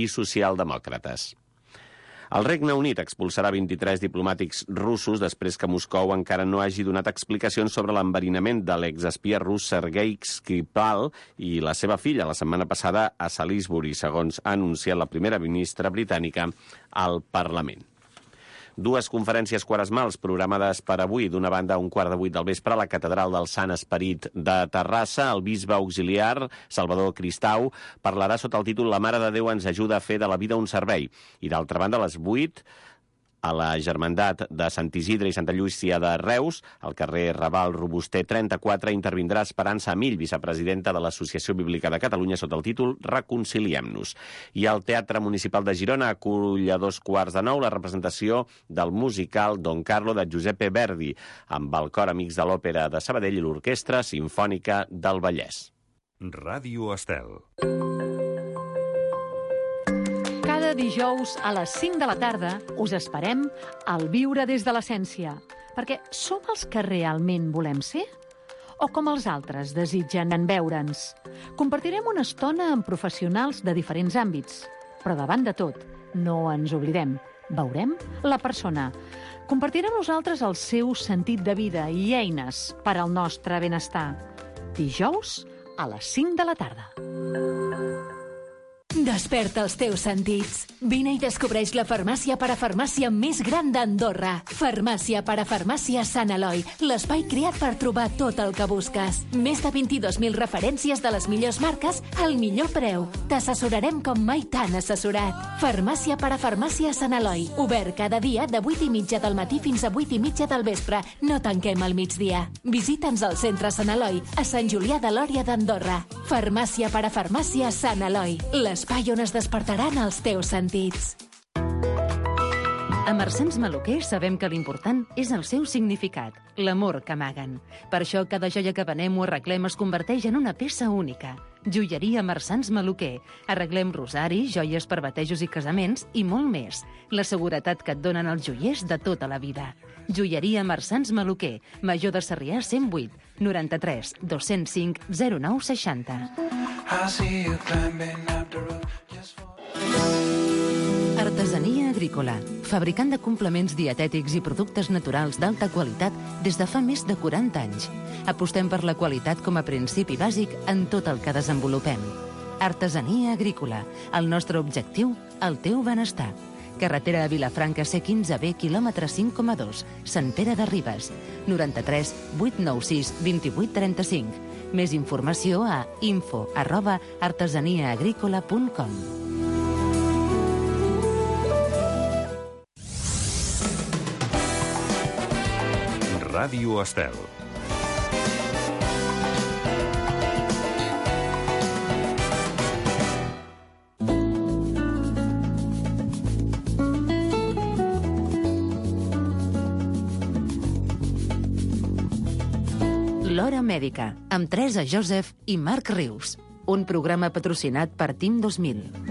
i socialdemòcrates. El Regne Unit expulsarà 23 diplomàtics russos després que Moscou encara no hagi donat explicacions sobre l'enverinament de l'exespia rus Sergei Skripal i la seva filla la setmana passada a Salisbury, segons ha anunciat la primera ministra britànica al Parlament. Dues conferències quaresmals programades per avui. D'una banda, a 7:15 del vespre, a la Catedral del Sant Esperit de Terrassa. El bisbe auxiliar, Salvador Cristau, parlarà sota el títol La Mare de Déu ens ajuda a fer de la vida un servei. I d'altra banda, a les 8, a la Germandat de Sant Isidre i Santa Llúcia de Reus, al carrer Raval Robuster 34, intervindrà Esperança Amill, vicepresidenta de l'Associació Bíblica de Catalunya, sota el títol Reconciliem-nos. I el Teatre Municipal de Girona acull a 8:15 la representació del musical Don Carlo de Giuseppe Verdi, amb el Cor Amics de l'Òpera de Sabadell i l'Orquestra Simfònica del Vallès. Ràdio Estel. Cada dijous a les 5 de la tarda us esperem al Viure des de l'Essència, perquè som els que realment volem ser? O com els altres desitgen en veure'ns? Compartirem una estona amb professionals de diferents àmbits, però davant de tot, no ens oblidem, veurem la persona. Compartirem nosaltres el seu sentit de vida i eines per al nostre benestar. Dijous a les 5 de la tarda. Desperta els teus sentits. Vine i descobreix la farmàcia parafarmàcia més gran d'Andorra. Farmàcia parafarmàcia Sant Eloi, l'espai creat per trobar tot el que busques. Més de 22.000 referències de les millors marques al millor preu. T'assessorarem com mai t'han assessorat. Farmàcia parafarmàcia Sant Eloi, obert cada dia de 8:30 del matí fins a 8:30 del vespre. No tanquem al migdia. Visita'ns al centre Sant Eloi, a Sant Julià de Lòria d'Andorra. Farmàcia parafarmàcia Sant Eloi, l'espai on es despertaran els teus sentits. A Marsans Maluquer sabem que l'important és el seu significat, l'amor que amaguen. Per això cada joia que venem o arreglem es converteix en una peça única. Joieria Marsans Maluquer. Arreglem rosaris, joies per batejos i casaments i molt més. La seguretat que et donen els joiers de tota la vida. Joieria Marsans Maluquer. Major de Sarrià 108 93 205 09 60. Artesania agrícola. Fabricant de complements dietètics i productes naturals d'alta qualitat des de fa més de 40 anys. Apostem per la qualitat com a principi bàsic en tot el que desenvolupem. Artesania agrícola. El nostre objectiu, el teu benestar. Carretera de Vilafranca C15B, quilòmetre 5,2, Sant Pere de Ribes. 93 896 2835. Més informació a info@artesaniaagricola.com. Ràdio Estel. L'Hora Mèdica, amb Teresa Joseph i Marc Rius. Un programa patrocinat per Team 2000.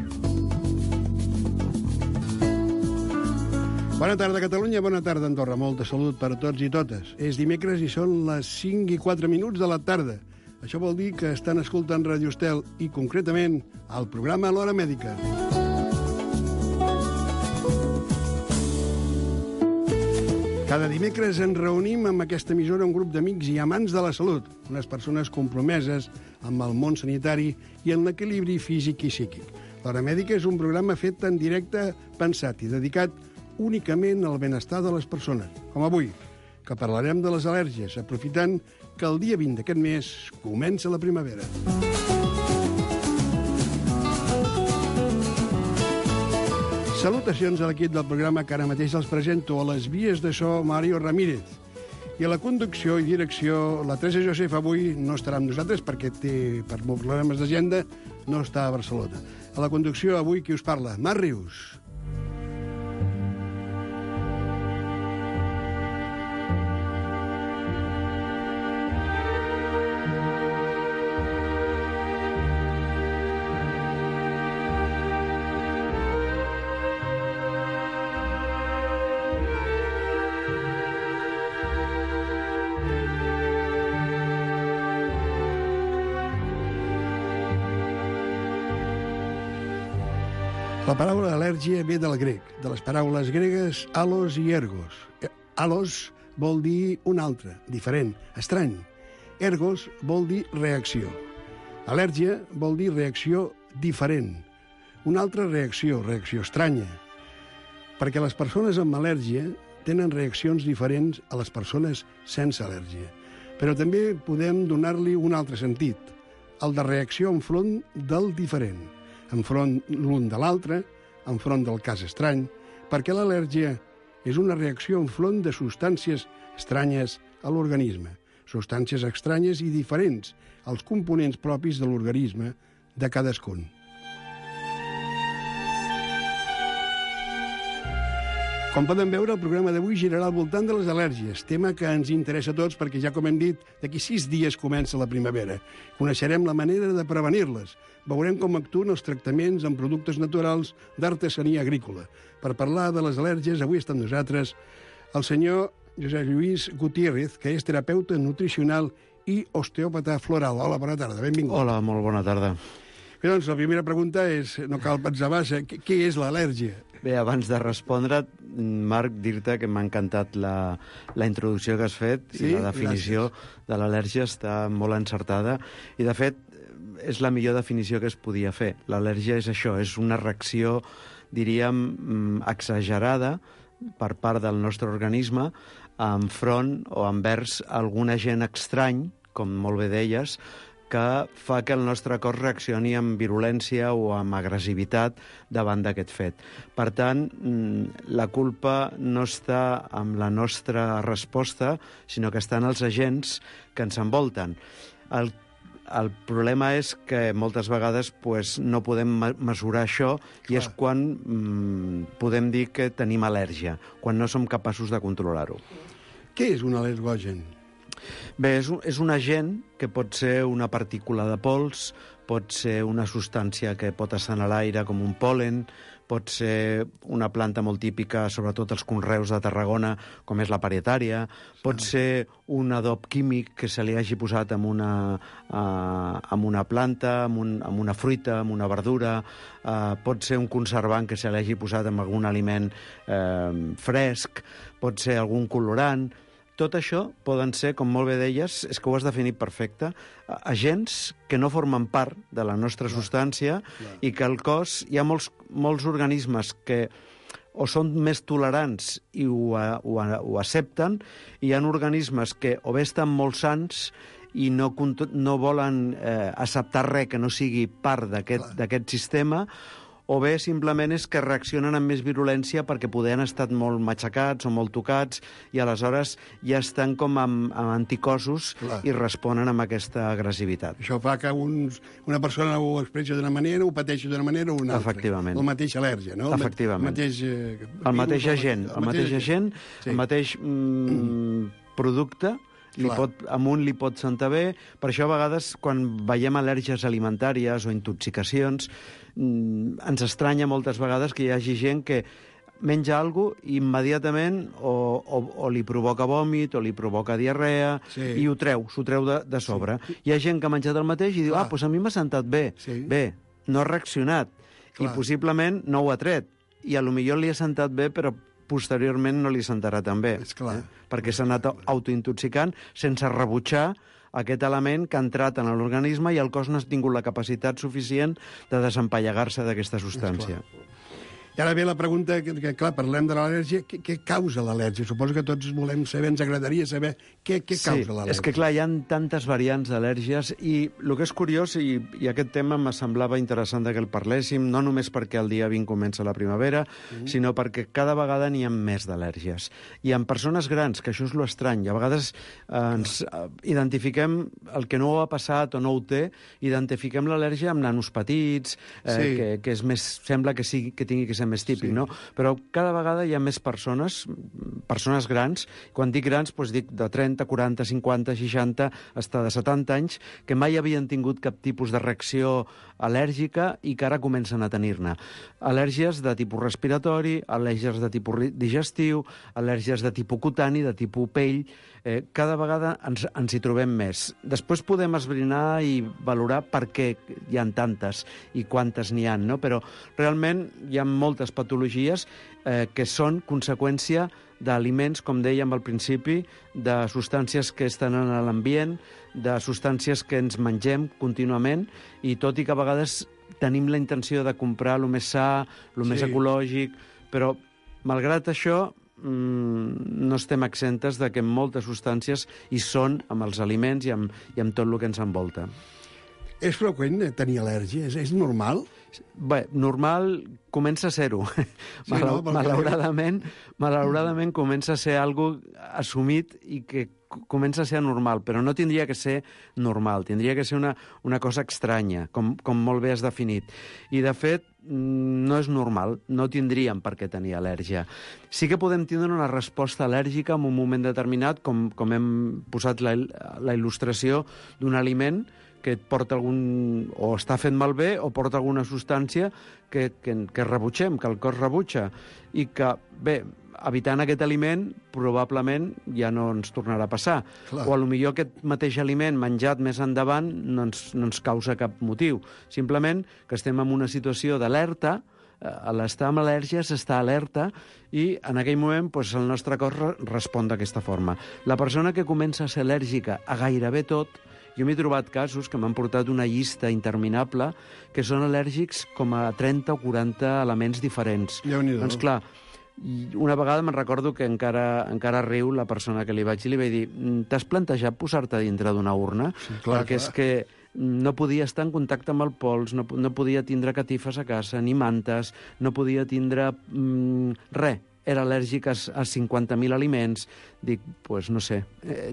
Bona tarda, Catalunya, bona tarda, Andorra. Molta salut per a tots i totes. És dimecres i són les 5:04 de la tarda. Això vol dir que estan escoltant Ràdio Estel i, concretament, el programa L'Hora Mèdica. Cada dimecres ens reunim amb aquesta emissora un grup d'amics i amants de la salut, unes persones compromeses amb el món sanitari i en l'equilibri físic i psíquic. L'Hora Mèdica és un programa fet en directe, pensat i dedicat únicament al benestar de les persones, com avui, que parlarem de les al·lèrgies, aprofitant que el dia 20 d'aquest mes comença la primavera. Salutacions a l'equip del programa que ara mateix els presento. A les vies de so, Mario Ramírez. I a la conducció i direcció, la Teresa Joseph avui no estarà amb nosaltres perquè té, per problemes d'agenda, no està a Barcelona. A la conducció avui qui us parla? Marc Rius. La paraula al·lèrgia ve del grec, de les paraules gregues halos i ergos. Halos vol dir un altre, diferent, estrany. Ergos vol dir reacció. Al·lèrgia vol dir reacció diferent. Una altra reacció, reacció estranya. Perquè les persones amb al·lèrgia tenen reaccions diferents a les persones sense al·lèrgia. Però també podem donar-li un altre sentit, el de reacció enfront del diferent, enfront l'un de l'altre, enfront del cas estrany, perquè l'al·lèrgia és una reacció enfront de substàncies estranyes a l'organisme, substàncies estranyes i diferents als components propis de l'organisme de cadascun. Com poden veure, el programa d'avui girarà al voltant de les al·lèrgies, tema que ens interessa a tots perquè, ja com hem dit, d'aquí 6 dies comença la primavera. Coneixerem la manera de prevenir-les. Veurem com actuen els tractaments amb productes naturals d'artesania agrícola. Per parlar de les al·lèrgies, avui està amb nosaltres el senyor Josep Lluís Gutiérrez, que és terapeuta nutricional i osteòpata floral. Hola, bona tarda, benvingut. Hola, molt bona tarda. Bé, doncs, la primera pregunta és, no cal pensar massa, què és l'al·lèrgia? Bé, abans de respondre, Marc, dir-te que m'ha encantat la introducció que has fet, sí? I la definició de l'al·lèrgia està molt encertada i, de fet, és la millor definició que es podia fer. L'al·lèrgia és això, és una reacció, diríem, exagerada per part del nostre organisme enfront o envers algun agent estrany, com molt bé deies, que fa que el nostre cos reaccioni amb virulència o amb agressivitat davant d'aquest fet. Per tant, la culpa no està amb la nostra resposta, sinó que està en els agents que ens envolten. El problema és que moltes vegades no podem mesurar això i és quan podem dir que tenim al·lèrgia, quan no som capaços de controlar-ho. Què és un al·lergogen? Bé, és un agent que pot ser una partícula de pols, pot ser una substància que pot estar a l'aire com un pol·len, pot ser una planta molt típica, sobretot als conreus de Tarragona, com és la parietària, pot ser un adob químic que se li hagi posat amb una planta, amb una fruita, amb una verdura, pot ser un conservant que se li hagi posat amb algun aliment fresc, pot ser algun colorant. Tot això poden ser, com molt bé deies, és que ho has definit perfecte, agents que no formen part de la nostra substància i que al cos hi ha molts organismes que o són més tolerants i ho accepten, i hi ha organismes que o bé estan molt sans i no volen acceptar res que no sigui part d'aquest sistema, o bé simplement és que reaccionen amb més virulència perquè poder han estat molt matxacats o molt tocats i aleshores ja estan com amb anticossos i responen amb aquesta agressivitat. Això fa que una persona ho expressi d'una manera, ho pateixi d'una manera o una altra. Efectivament. El mateix al·lèrgia, no? Efectivament. El mateix agent, el mateix producte, amunt li pot sentar bé. Per això, a vegades, quan veiem al·lèrgies alimentàries o intoxicacions, ens estranya moltes vegades que hi hagi gent que menja alguna cosa i immediatament o li provoca vòmit o li provoca diarrea i s'ho treu de sobre. Hi ha gent que ha menjat el mateix i diu, doncs a mi m'ha sentat bé. Bé, no ha reaccionat i possiblement no ho ha tret. I potser li ha sentat bé, però posteriorment no li sentarà tan bé. Perquè s'ha anat autointoxicant sense rebutjar aquest element que ha entrat en l'organisme i el cos no ha tingut la capacitat suficient de desempallegar-se d'aquesta substància. I ara ve la pregunta, que clar, parlem de l'al·lèrgia, què causa l'al·lèrgia? Suposo que tots volem saber, ens agradaria saber què causa l'al·lèrgia. És que clar, hi ha tantes variants d'al·lèrgies i el que és curiós, i aquest tema me semblava interessant que el parléssim, no només perquè el dia 20 comença la primavera, sinó perquè cada vegada n'hi ha més d'al·lèrgies. I en persones grans, que això és l'estrany, a vegades ens identifiquem el que no ho ha passat o no ho té, identifiquem l'al·lèrgia amb nanos petits, que és més, sembla que tingui que ser ser més típic, no? Però cada vegada hi ha més persones grans, quan dic grans, doncs dic de 30, 40, 50, 60, fins de 70 anys, que mai havien tingut cap tipus de reacció al·lèrgica i que ara comencen a tenir-ne. Al·lèrgies de tipus respiratori, al·lèrgies de tipus digestiu, al·lèrgies de tipus cutani, de tipus pell. Cada vegada ens hi trobem més. Després podem esbrinar i valorar per què hi ha tantes i quantes n'hi ha, no? Però realment hi ha moltes patologies que són conseqüència d'aliments, com dèiem al principi, de substàncies que estan en l'ambient, de substàncies que ens mengem contínuament, i tot i que a vegades tenim la intenció de comprar el més sa, el més ecològic, però malgrat això no estem exentes de que moltes substàncies hi són amb els aliments i amb tot el que ens envolta. És freqüent tenir al·lèrgia? És normal? Bé, normal comença a ser-ho. Sí, no? Malauradament comença a ser algo assumit i que comença a ser anormal, però no tindria que ser normal, tindria que ser una cosa estranya, com molt bé has definit. I, de fet, no és normal, no tindríem per què tenir al·lèrgia. Sí que podem tindre una resposta al·lèrgica en un moment determinat, com hem posat la il·lustració d'un aliment que et porta algun... o està fet malbé o porta alguna substància que rebutgem, que el cos rebutja, i que, bé, evitant aquest aliment, probablement ja no ens tornarà a passar. Clar. O potser aquest mateix aliment menjat més endavant no ens causa cap motiu. Simplement que estem en una situació d'alerta, a l'estar amb al·lèrgia s'està alerta i en aquell moment doncs, el nostre cos respon d'aquesta forma. La persona que comença a ser al·lèrgica a gairebé tot, jo m'he trobat casos que m'han portat una llista interminable que són al·lèrgics com a 30 o 40 elements diferents. Déu-n'hi-do. Doncs clar, una vegada me'n recordo que encara riu la persona que li vaig dir, li vaig dir, t'has plantejat posar-te dintre d'una urna? Sí, clar, perquè és que no podia estar en contacte amb el pols, no podia tindre catifes a casa, ni mantes, no podia tindre res. Era al·lèrgic a 50.000 aliments. Dic, doncs no sé,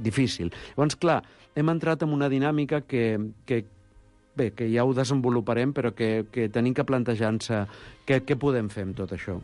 difícil. Llavors, clar, hem entrat en una dinàmica que ja ho desenvoluparem, però que tenim que plantejar-nos què podem fer amb tot això.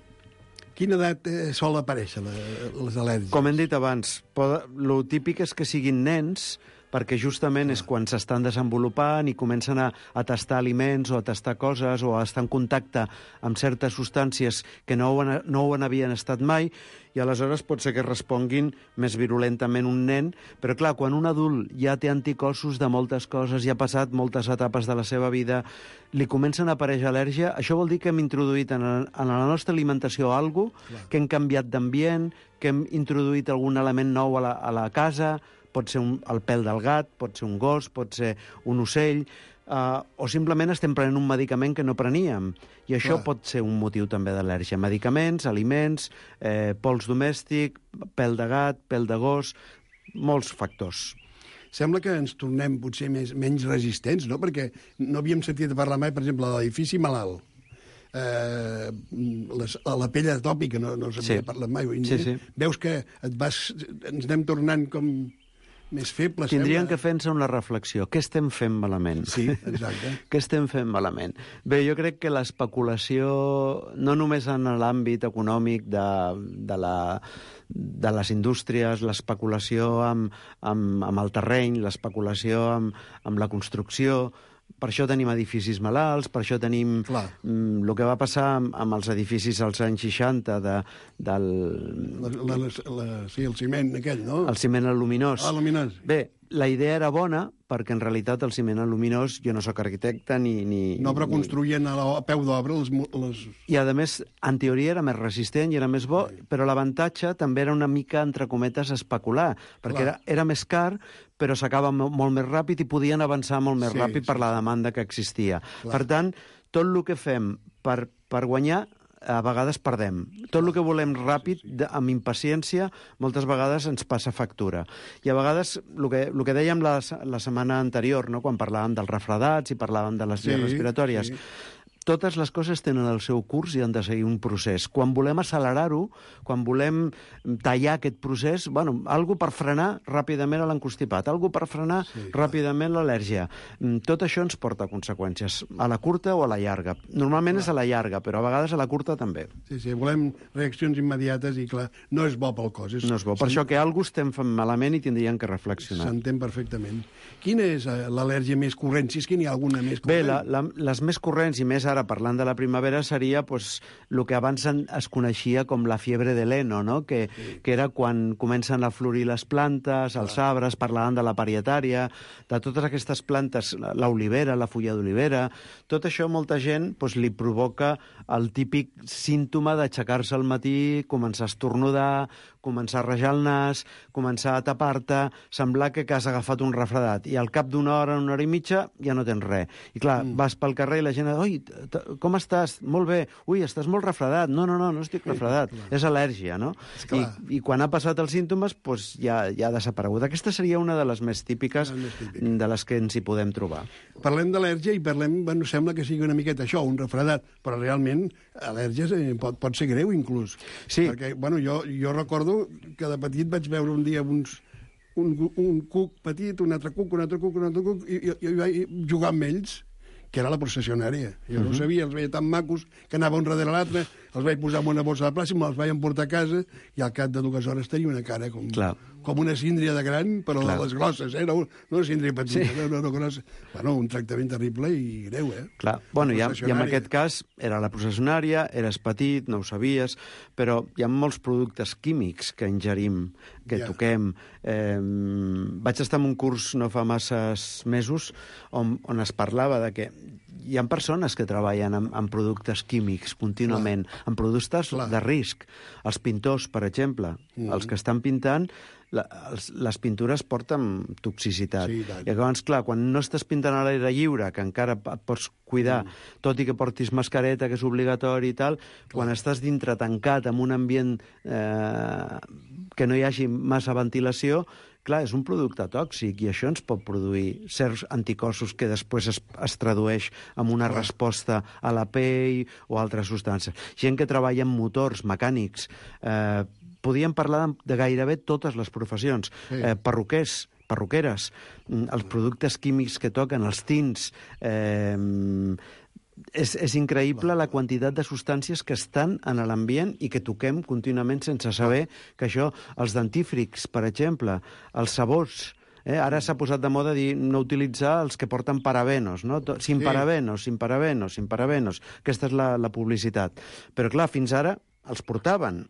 Quina edat sol aparèixer les al·lèrgies? Com hem dit abans, lo típic és que siguin nens, perquè justament és quan s'estan desenvolupant i comencen a tastar aliments o a tastar coses o a estar en contacte amb certes substàncies que no ho havien estat mai, i aleshores pot ser que responguin més virulentament un nen, però clar, quan un adult ja té anticossos de moltes coses, ja ha passat moltes etapes de la seva vida, li comencen a aparèixer al·lèrgia, això vol dir que hem introduït en la nostra alimentació alguna cosa, que hem canviat d'ambient, que hem introduït algun element nou a la casa, pot ser el pèl del gat, pot ser un gos, pot ser un ocell, o simplement estem prenent un medicament que no preníem. I això pot ser un motiu també d'al·lèrgia. Medicaments, aliments, pols domèstic, pèl de gat, pèl de gos, molts factors. Sembla que ens tornem potser menys resistents, no? Perquè no havíem sentit parlar mai, per exemple, de l'edifici malalt. La pell atòpica no s'havia parlat mai. Sí. Veus que ens anem tornant com més febles. Tindrien que fer-nos una reflexió. Què estem fent malament? Sí, exacte. Què estem fent malament? Bé, jo crec que l'especulació, no només en l'àmbit econòmic de les indústries, l'especulació amb el terreny, l'especulació amb la construcció. Per això tenim edificis malalts, per això tenim el que va passar amb els edificis als anys 60 el ciment aquell, no? El ciment aluminós. Aluminós. Bé, la idea era bona, perquè en realitat el ciment aluminós, jo no sóc arquitecte ni... No, però construïen a peu d'obra les... I, a més, en teoria era més resistent i era més bo, però l'avantatge també era una mica, entre cometes, especular, perquè era més car, però s'acaba molt més ràpid i podien avançar molt més ràpid per la demanda que existia. Per tant, tot el que fem per guanyar, a vegades perdem. Tot el que volem ràpid, amb impaciència, moltes vegades ens passa factura. I a vegades, el que dèiem la setmana anterior, no? Quan parlàvem dels refredats i parlàvem de les vies respiratòries, totes les coses tenen el seu curs i han de seguir un procés. Quan volem accelerar-ho, quan volem tallar aquest procés, bueno, algo per frenar ràpidament l'encostipat, algo per frenar ràpidament l'al·lèrgia. Tot això ens porta conseqüències, a la curta o a la llarga. Normalment és a la llarga, però a vegades a la curta també. Sí, volem reaccions immediates i, clar, no és bo pel cos. No és bo. Per això que algú estem fent malament i tindríem que reflexionar. S'entén perfectament. Quina és l'al·lèrgia més corrent, si és que n'hi ha alguna més corrent? Bé, les més corrents, i més ara parlant de la primavera, seria el que abans es coneixia com la fiebre de l'heno, no? Que era quan comencen a florir les plantes, els arbres, parlàvem de la parietària, de totes aquestes plantes, l'olivera, la fulla d'olivera. Tot això molta gent li provoca el típic símptoma d'aixecar-se al matí, començar a estornudar, començar a rajar el nas, començar a tapar-te, semblar que has agafat un refredat, i al cap d'una hora i mitja ja no tens res. I clar, vas pel carrer i la gent... Oi, com estàs? Molt bé. Ui, estàs molt refredat. No estic refredat. És al·lèrgia, no? I quan ha passat els símptomes, ja ha desaparegut. Aquesta seria una de les més típiques de les que ens hi podem trobar. Parlem d'al·lèrgia i parlem, sembla que sigui una miqueta això, un refredat, però realment al·lèrgia pot ser greu, inclús. Sí. Perquè, jo recordo que de petit vaig veure un dia un cuc petit, un altre cuc, i vaig jugar amb ells, que era la processionària. Jo no ho sabia, els veia tan macos que anava un darrere l'altre, els vaig posar en una bossa de plàstic, me'ls vaig emportar a casa, i al cap de 2 hores tenia una cara com una síndria de gran, però de les grosses, no una síndria petita, no grossa. Un tractament terrible i greu, Clar, i en aquest cas era la processionària, eres petit, no ho sabies, però hi ha molts productes químics que ingerim, que toquem. Vaig estar en un curs no fa masses mesos on es parlava de que hi ha persones que treballen amb productes químics contínuament, amb productes de risc. Els pintors, per exemple, els que estan pintant, les pintures porten toxicitat. I llavors, clar, quan no estàs pintant a l'aire lliure, que encara et pots cuidar, tot i que portis mascareta, que és obligatori i tal, quan estàs dintre tancat en un ambient que no hi hagi massa ventilació, clar, és un producte tòxic i això ens pot produir certs anticossos que després es tradueix en una resposta a la pell o altres substàncies. Gent que treballa en motors mecànics, podíem parlar de gairebé totes les professions, perruquers, perruqueres, els productes químics que toquen, els tints... És increïble la quantitat de substàncies que estan en l'ambient i que toquem contínuament sense saber que això, els dentífrics, per exemple, els sabors... Ara s'ha posat de moda dir no utilitzar els que porten parabenos, no? Sin parabenos. Aquesta és la publicitat. Però, clar, fins ara els portaven,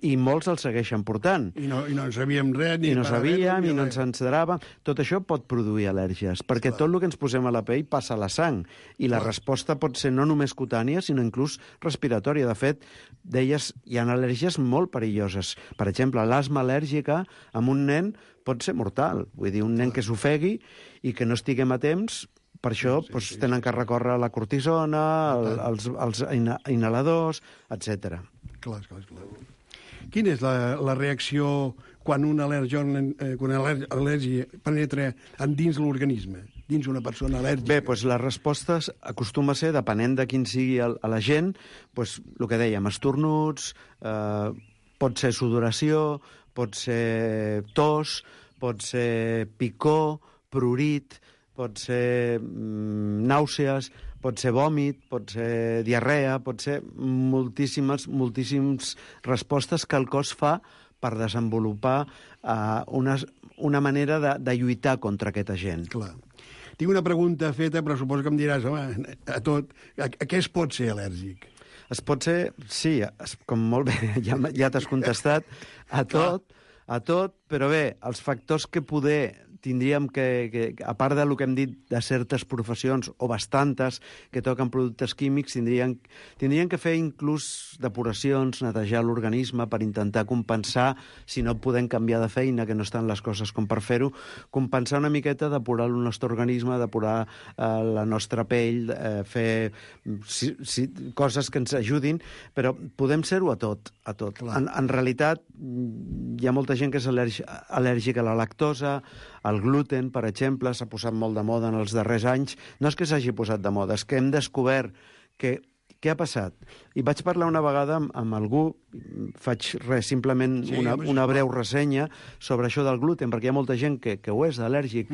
i molts els segueixen portant. I no en sabíem res, I no sabíem, i no ens encedrava. Tot això pot produir al·lèrgies, perquè tot el que ens posem a la pell passa a la sang, i la resposta pot ser no només cutània, sinó inclús respiratòria. De fet, deies, hi ha al·lèrgies molt perilloses. Per exemple, l'asma al·lèrgica amb un nen pot ser mortal. Vull dir, un nen que s'ofegui i que no estiguem a temps... Per això tenen que recórrer a la cortisona, als inhaladors, etc. Clar. Quina és la reacció quan una al·lèrgia penetra dins l'organisme, dins una persona al·lèrgica? Bé, la resposta acostuma a ser, depenent de quin sigui l'agent, el que dèiem, estornuts, pot ser sudoració, pot ser tos, pot ser picor, prurit, pot ser nàusees, pot ser vòmit, pot ser diarrea, pot ser moltíssimes respostes que el cos fa per desenvolupar una manera de lluitar contra aquest agent. Clar. Tinc una pregunta feta, però suposo que em diràs, home, a què es pot ser al·lèrgic? Es pot ser, sí, com molt bé, ja t'has contestat, a tot, però bé, els factors que poder tindríem que, a part del que hem dit de certes professions, o bastantes, que toquen productes químics, tindrien que fer inclús depuracions, netejar l'organisme per intentar compensar, si no podem canviar de feina, que no estan les coses com per fer-ho, compensar una miqueta, depurar el nostre organisme, depurar la nostra pell, fer coses que ens ajudin, però podem ser-ho a tot. En realitat, hi ha molta gent que és al·lèrgica a la lactosa, el gluten, per exemple, s'ha posat molt de moda en els darrers anys. No és que s'hagi posat de moda, és que hem descobert què ha passat? I vaig parlar una vegada amb algú, faig simplement una breu ressenya sobre això del gluten, perquè hi ha molta gent que ho és al·lèrgic,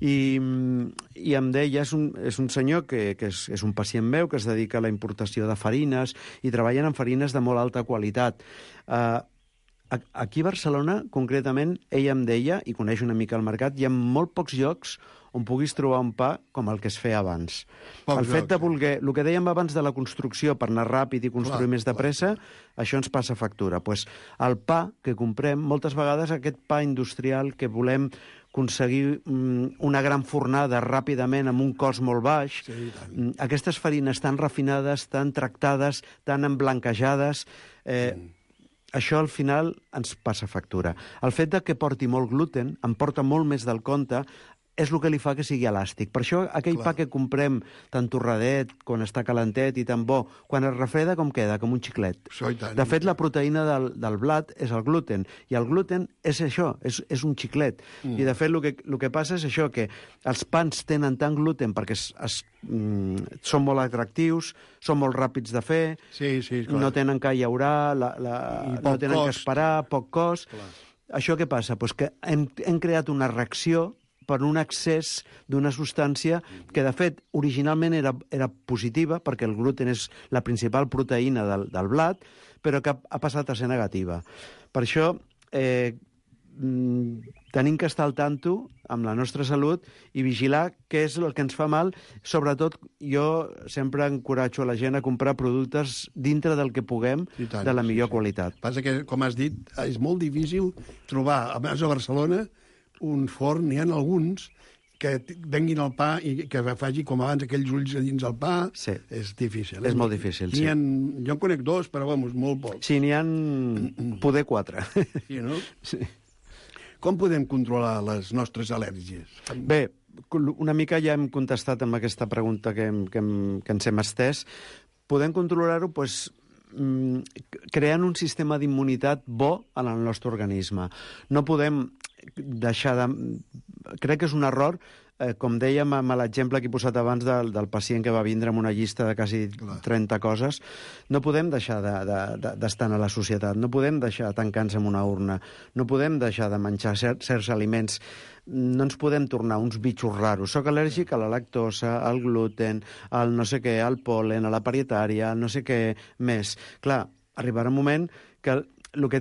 i em deia, és un senyor que és un pacient meu, que es dedica a la importació de farines, i treballen en farines de molt alta qualitat. Aquí a Barcelona, concretament, ell em deia, i coneix una mica el mercat, hi ha molt pocs llocs on puguis trobar un pa com el que es feia abans. El fet de voler... El que dèiem abans de la construcció, per anar ràpid i construir més de pressa, això ens passa factura. Pues el pa que comprem, moltes vegades aquest pa industrial que volem aconseguir una gran fornada ràpidament amb un cost molt baix, aquestes farines tan refinades, tan tractades, tan emblanquejades... Això, al final, ens passa factura. El fet de que porti molt gluten, em porta molt més del compte, és el que li fa que sigui elàstic. Per això, aquell pa que comprem tan torradet, quan està calentet i tan bo, quan es refreda, com queda? Com un xiclet. De fet, la proteïna del blat és el gluten, i el gluten és això, és un xiclet. I, de fet, el que passa és això, que els pans tenen tant gluten perquè són molt atractius, són molt ràpids de fer, no tenen que llaurar, no tenen que esperar, poc cost. Això què passa? Pues que hem creat una reacció per un excés d'una substància que, de fet, originalment era positiva, perquè el gluten és la principal proteïna del blat, però que ha passat a ser negativa. Per això, tenim que estar al tanto amb la nostra salut i vigilar què és el que ens fa mal. Sobretot, jo sempre encoratjo a la gent a comprar productes dintre del que puguem, de la millor qualitat. Passa que, com has dit, és molt difícil trobar, a més a Barcelona, un forn, n'hi ha alguns que venguin el pa i que faci com abans aquells ulls a dins el pa. És difícil. És molt difícil, sí. Jo en conec dos, però, molt pocs. Sí, n'hi ha poder 4. Sí, no? Sí. Com podem controlar les nostres al·lèrgies? Bé, una mica ja hem contestat amb aquesta pregunta que ens hem estès. Podem controlar-ho, doncs, creant un sistema d'immunitat bo en el nostre organisme. No podem deixar de... Crec que és un error, com dèiem amb l'exemple que he posat abans del pacient que va vindre amb una llista de quasi 30 coses, no podem deixar d'estar a la societat, no podem deixar de tancar-nos en una urna, no podem deixar de menjar certs aliments, no ens podem tornar uns bitxos raros. Soc al·lèrgic a la lactosa, al gluten, al no sé què, al pol·len, a la parietària, al no sé què més. Clar, arribarà un moment que el que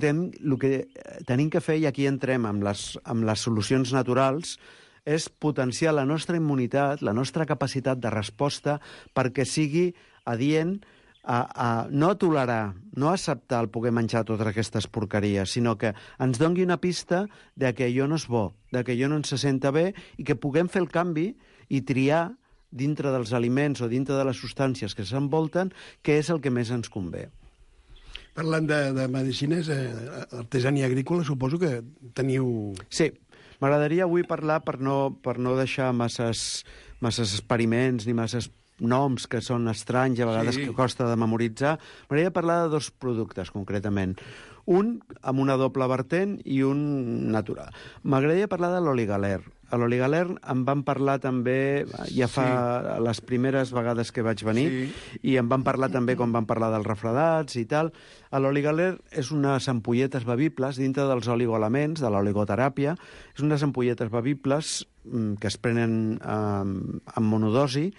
tenim que fer, i aquí entrem amb les solucions naturals, és potenciar la nostra immunitat, la nostra capacitat de resposta, perquè sigui adient a no tolerar, no acceptar el poder menjar totes aquestes porqueries, sinó que ens doni una pista de que allò no és bo, de que allò no ens se senta bé, i que puguem fer el canvi i triar dintre dels aliments o dintre de les substàncies que s'envolten què és el que més ens convé. Parlant de medicines, artesania agrícola, suposo que teniu... Sí, m'agradaria avui parlar, per no deixar masses experiments ni masses noms que són estranys, a vegades que costa de memoritzar. M'agradaria parlar de 2 productes, concretament. Un amb una doble vertent i un natural. M'agradaria parlar de l'oligaler. A l'oligaler em van parlar també, ja fa les primeres vegades que vaig venir, i em van parlar també quan van parlar dels refredats i tal. L'oligaler és unes ampolletes bevibles dintre dels oligoelements, de l'oligoteràpia. És unes ampolletes bevibles que es prenen en monodosi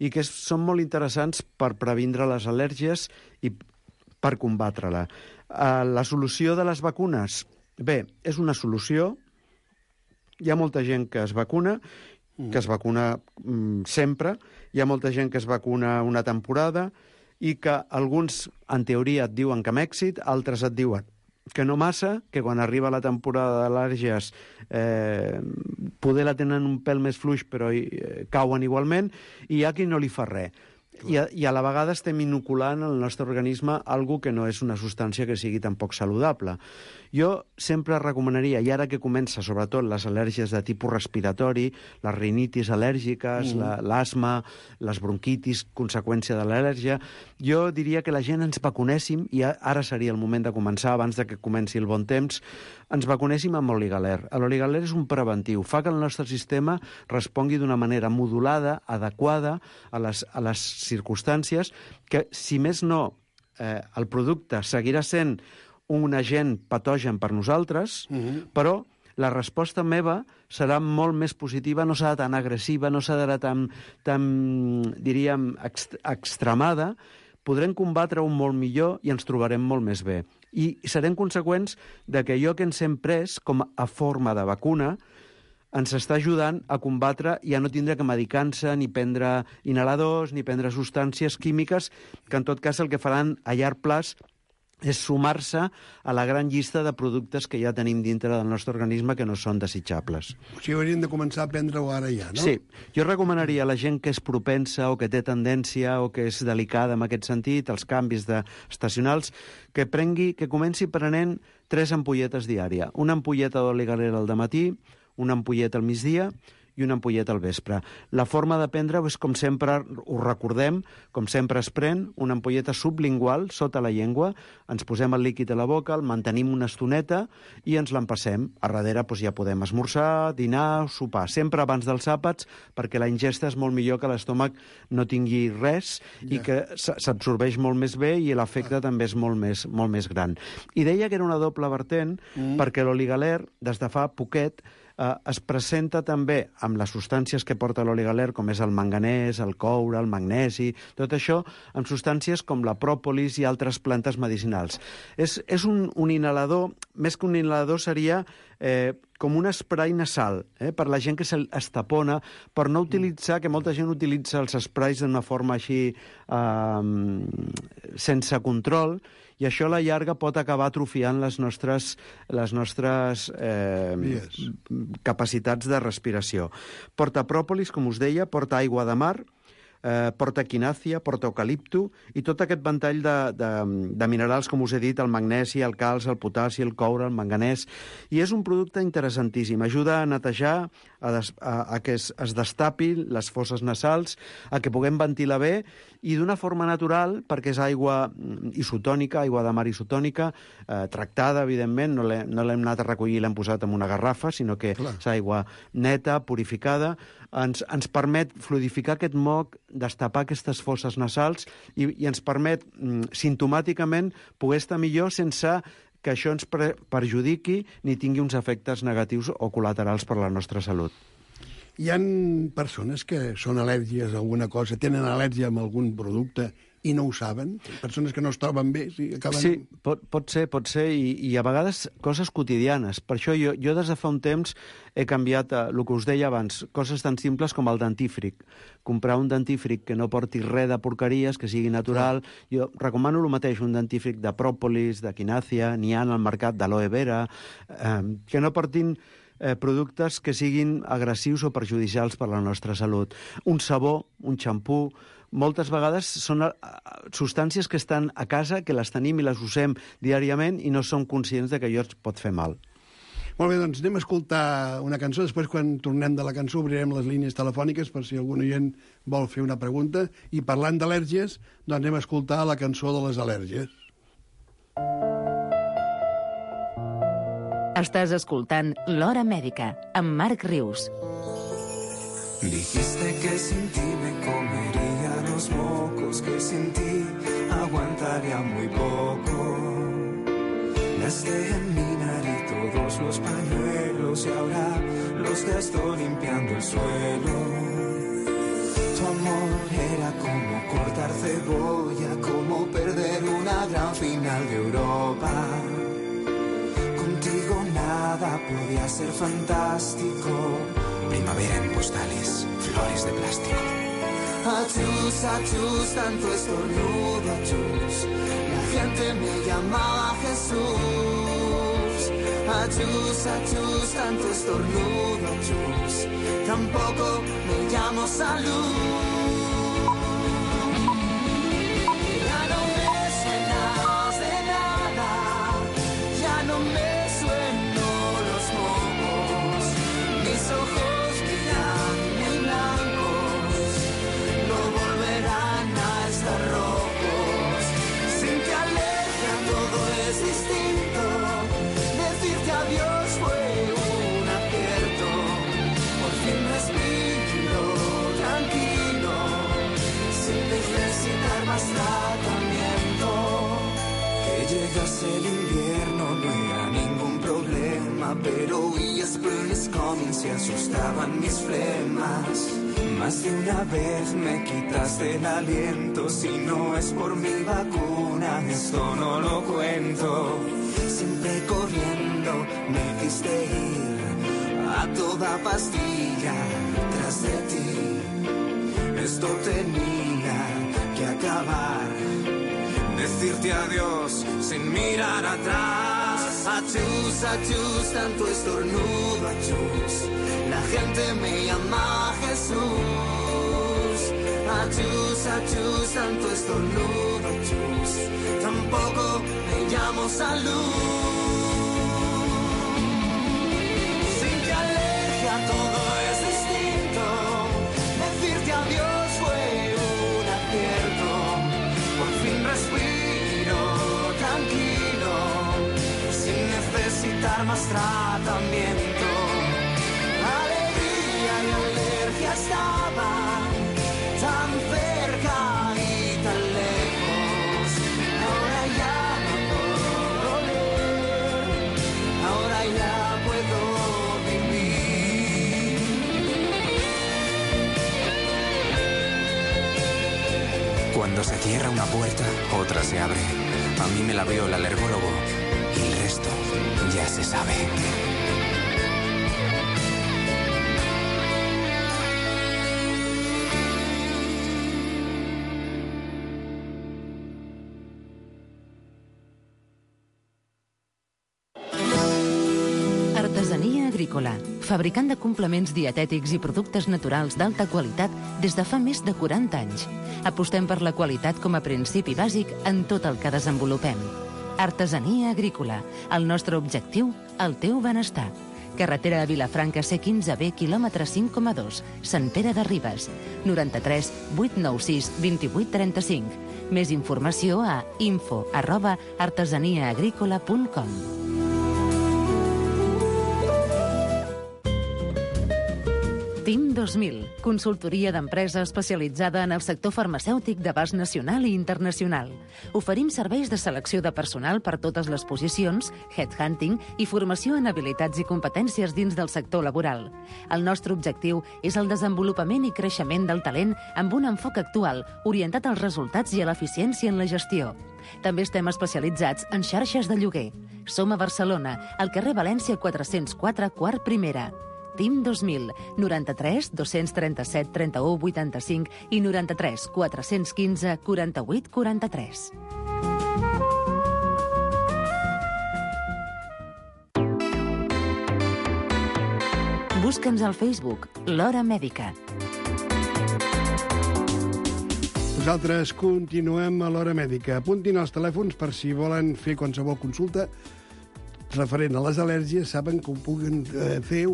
i que són molt interessants per previndre les al·lèrgies i per combatre-la. La solució de les vacunes? Bé, és una solució. Hi ha molta gent que es vacuna sempre, hi ha molta gent que es vacuna una temporada i que alguns, en teoria, et diuen que amb èxit, altres et diuen que no massa, que quan arriba la temporada d'al·lèrgies poder la tenen un pèl més fluix però cauen igualment, i hi ha qui no li fa res. I a la vegada estem inoculant al nostre organisme alguna que no és una substància que sigui tampoc saludable. Jo sempre recomanaria, i ara que comença sobretot les al·lèrgies de tipus respiratori, les rinitis al·lèrgiques, l'asma, les bronquitis, conseqüència de l'al·lèrgia, jo diria que la gent ens vacunéssim, i ara seria el moment de començar, abans de que comenci el bon temps, ens vacunéssim amb l'oligaler. L'oligaler és un preventiu, fa que el nostre sistema respongui d'una manera modulada, adequada a les circumstàncies, que, si més no, el producte seguirà sent un agent patogen per nosaltres, però la resposta meva serà molt més positiva, no serà tan agressiva, no serà tan diríem, extremada. Podrem combatre-ho molt millor i ens trobarem molt més bé. I serem conseqüents de que allò que ens hem pres com a forma de vacuna ens està ajudant a combatre i a no tindre que medicar-se, ni prendre inhaladors, ni prendre substàncies químiques, que en tot cas el que faran a llarg plaç és sumar-se a la gran llista de productes que ja tenim dintre del nostre organisme que no són desitjables. O sigui, hauríem de començar a prendre-ho ara ja, no? Sí. Jo recomanaria a la gent que és propensa o que té tendència o que és delicada en aquest sentit, els canvis estacionals, que comenci prenent 3 ampolletes diària. Una ampolleta d'oli galera al dematí, una ampolleta al migdia i una ampolleta al vespre. La forma de prendre-ho és, com sempre, ho recordem, com sempre es pren, una ampolleta sublingual, sota la llengua, ens posem el líquid a la boca, el mantenim una estoneta i ens l'empassem. A darrere ja podem esmorzar, dinar, sopar, sempre abans dels àpats, perquè la ingesta és molt millor que l'estómac no tingui res i que s'absorbeix molt més bé i l'efecte també és molt més gran. I deia que era una doble vertent perquè l'oligaler, des de fa poquet, es presenta també amb les substàncies que porta l'oligaler, com és el manganès, el coure, el magnesi, tot això, amb substàncies com la pròpolis i altres plantes medicinals. És un inhalador, més que un inhalador seria com un spray nasal, per la gent que es tapona, per no utilitzar, que molta gent utilitza els sprays d'una forma així sense control, i això a la llarga pot acabar atrofiant les nostres capacitats de respiració. Porta pròpolis, com us deia, porta aigua de mar, porta quinàcia, porta eucalipto i tot aquest ventall de minerals, com us he dit, el magnesi, el calç, el potassi, el coure, el manganès, i és un producte interessantíssim. Ajuda a netejar, a que es destapin les fosses nasals, a que puguem ventilar bé i d'una forma natural, perquè és aigua isotònica, aigua de mar isotònica, tractada, evidentment, no l'hem anat a recollir i l'hem posat en una garrafa, sinó que és aigua neta, purificada, ens permet fluidificar aquest moc, destapar aquestes fosses nasals i ens permet simptomàticament poder estar millor sense que això ens perjudiqui ni tingui uns efectes negatius o col·laterals per a la nostra salut. Hi ha persones que són al·lèrgies a alguna cosa, tenen al·lèrgia a algun producte i no ho saben? Persones que no es troben bé? Sí, pot ser, i a vegades coses quotidianes. Per això jo des de fa un temps he canviat el que us deia abans, coses tan simples com el dentífric. Comprar un dentífric que no porti res de porqueries, que sigui natural. Jo recomano el mateix, un dentífric de pròpolis, de quinàcia, n'hi ha al mercat d'aloe vera, que no portin productes que siguin agressius o perjudicials per a la nostra salut. Un sabó, un xampú, moltes vegades són substàncies que estan a casa, que les tenim i les usem diàriament i no som conscients de que allò ens pot fer mal. Molt bé, doncs anem a escoltar una cançó. Després, quan tornem de la cançó, obrirem les línies telefòniques per si algun oient vol fer una pregunta. I parlant d'al·lèrgies, doncs anem a escoltar la cançó de les al·lèrgies. Estàs escoltant L'Hora Mèdica, amb Marc Rius. Dijiste que sin ti me comería los mocos, que sin ti aguantaría muy poco. Me has de enminar y todos los pañuelos y ahora los gasto limpiando el suelo. Tu amor era como cortar cebolla, como perder una gran final de Europa. Contigo nada podía ser fantástico. Primavera en postales, flores de plástico. Achus, tanto estornudo, achus. La gente me llamaba Jesús. Achus, tanto estornudo, achus. Tampoco me llamo Salud. Ya no me suenas de nada, ya no me sueno los mocos. Mis ojos rojos, sin que alergia todo es distinto. Decirte adiós fue un acierto. Por fin respiro tranquilo. llegase el invierno no era ningún problema, pero oías plumes coming se asustaban mis flemas. Más de una vez me quitaste el aliento, si no es por mi vacuna, esto no lo cuento. Siempre corriendo me hiciste ir a toda pastilla tras de ti. Esto tenía que acabar. Decirte adiós sin mirar atrás. Achus, achus, tanto estornudo, achus. La gente me llama Jesús. Achus, achus, tanto estornudo, achus. Tampoco me llamo Salud. Sin que alergia todo es distinto. Decirte adiós fue un acierto. Por fin respiro tranquilo, sin necesitar más tratamiento. Alegría y alergia estaban tan cerca y tan lejos. Ahora ya no puedo doler, ahora ya puedo vivir. Cuando se cierra una puerta, otra se abre. A mí me la abrió el alergólogo y el resto ya se sabe. Artesania agrícola, fabricant de complements dietètics i productes naturals d'alta qualitat des de fa més de 40 anys. Apostem per la qualitat com a principi bàsic en tot el que desenvolupem. Artesania agrícola, el nostre objectiu, el teu benestar. Carretera a Vilafranca C15B, quilòmetre 5,2, Sant Pere de Ribes, 93 896 2835. Més informació a info@artesaniaagricola.com. TIM 2000, consultoria d'empresa especialitzada en el sector farmacèutic d'abast nacional i internacional. Oferim serveis de selecció de personal per totes les posicions, headhunting i formació en habilitats i competències dins del sector laboral. El nostre objectiu és el desenvolupament i creixement del talent amb un enfoc actual, orientat als resultats i a l'eficiència en la gestió. També estem especialitzats en xarxes de lloguer. Som a Barcelona, al carrer València 404, quart primera. TIM 2000, 93 237 31 85 i 93 415 48 43. Busca'ns al Facebook, l'Hora Mèdica. Nosaltres continuem a l'Hora Mèdica. Apuntin els telèfons per si volen fer qualsevol consulta referent a les al·lèrgies. Saben que ho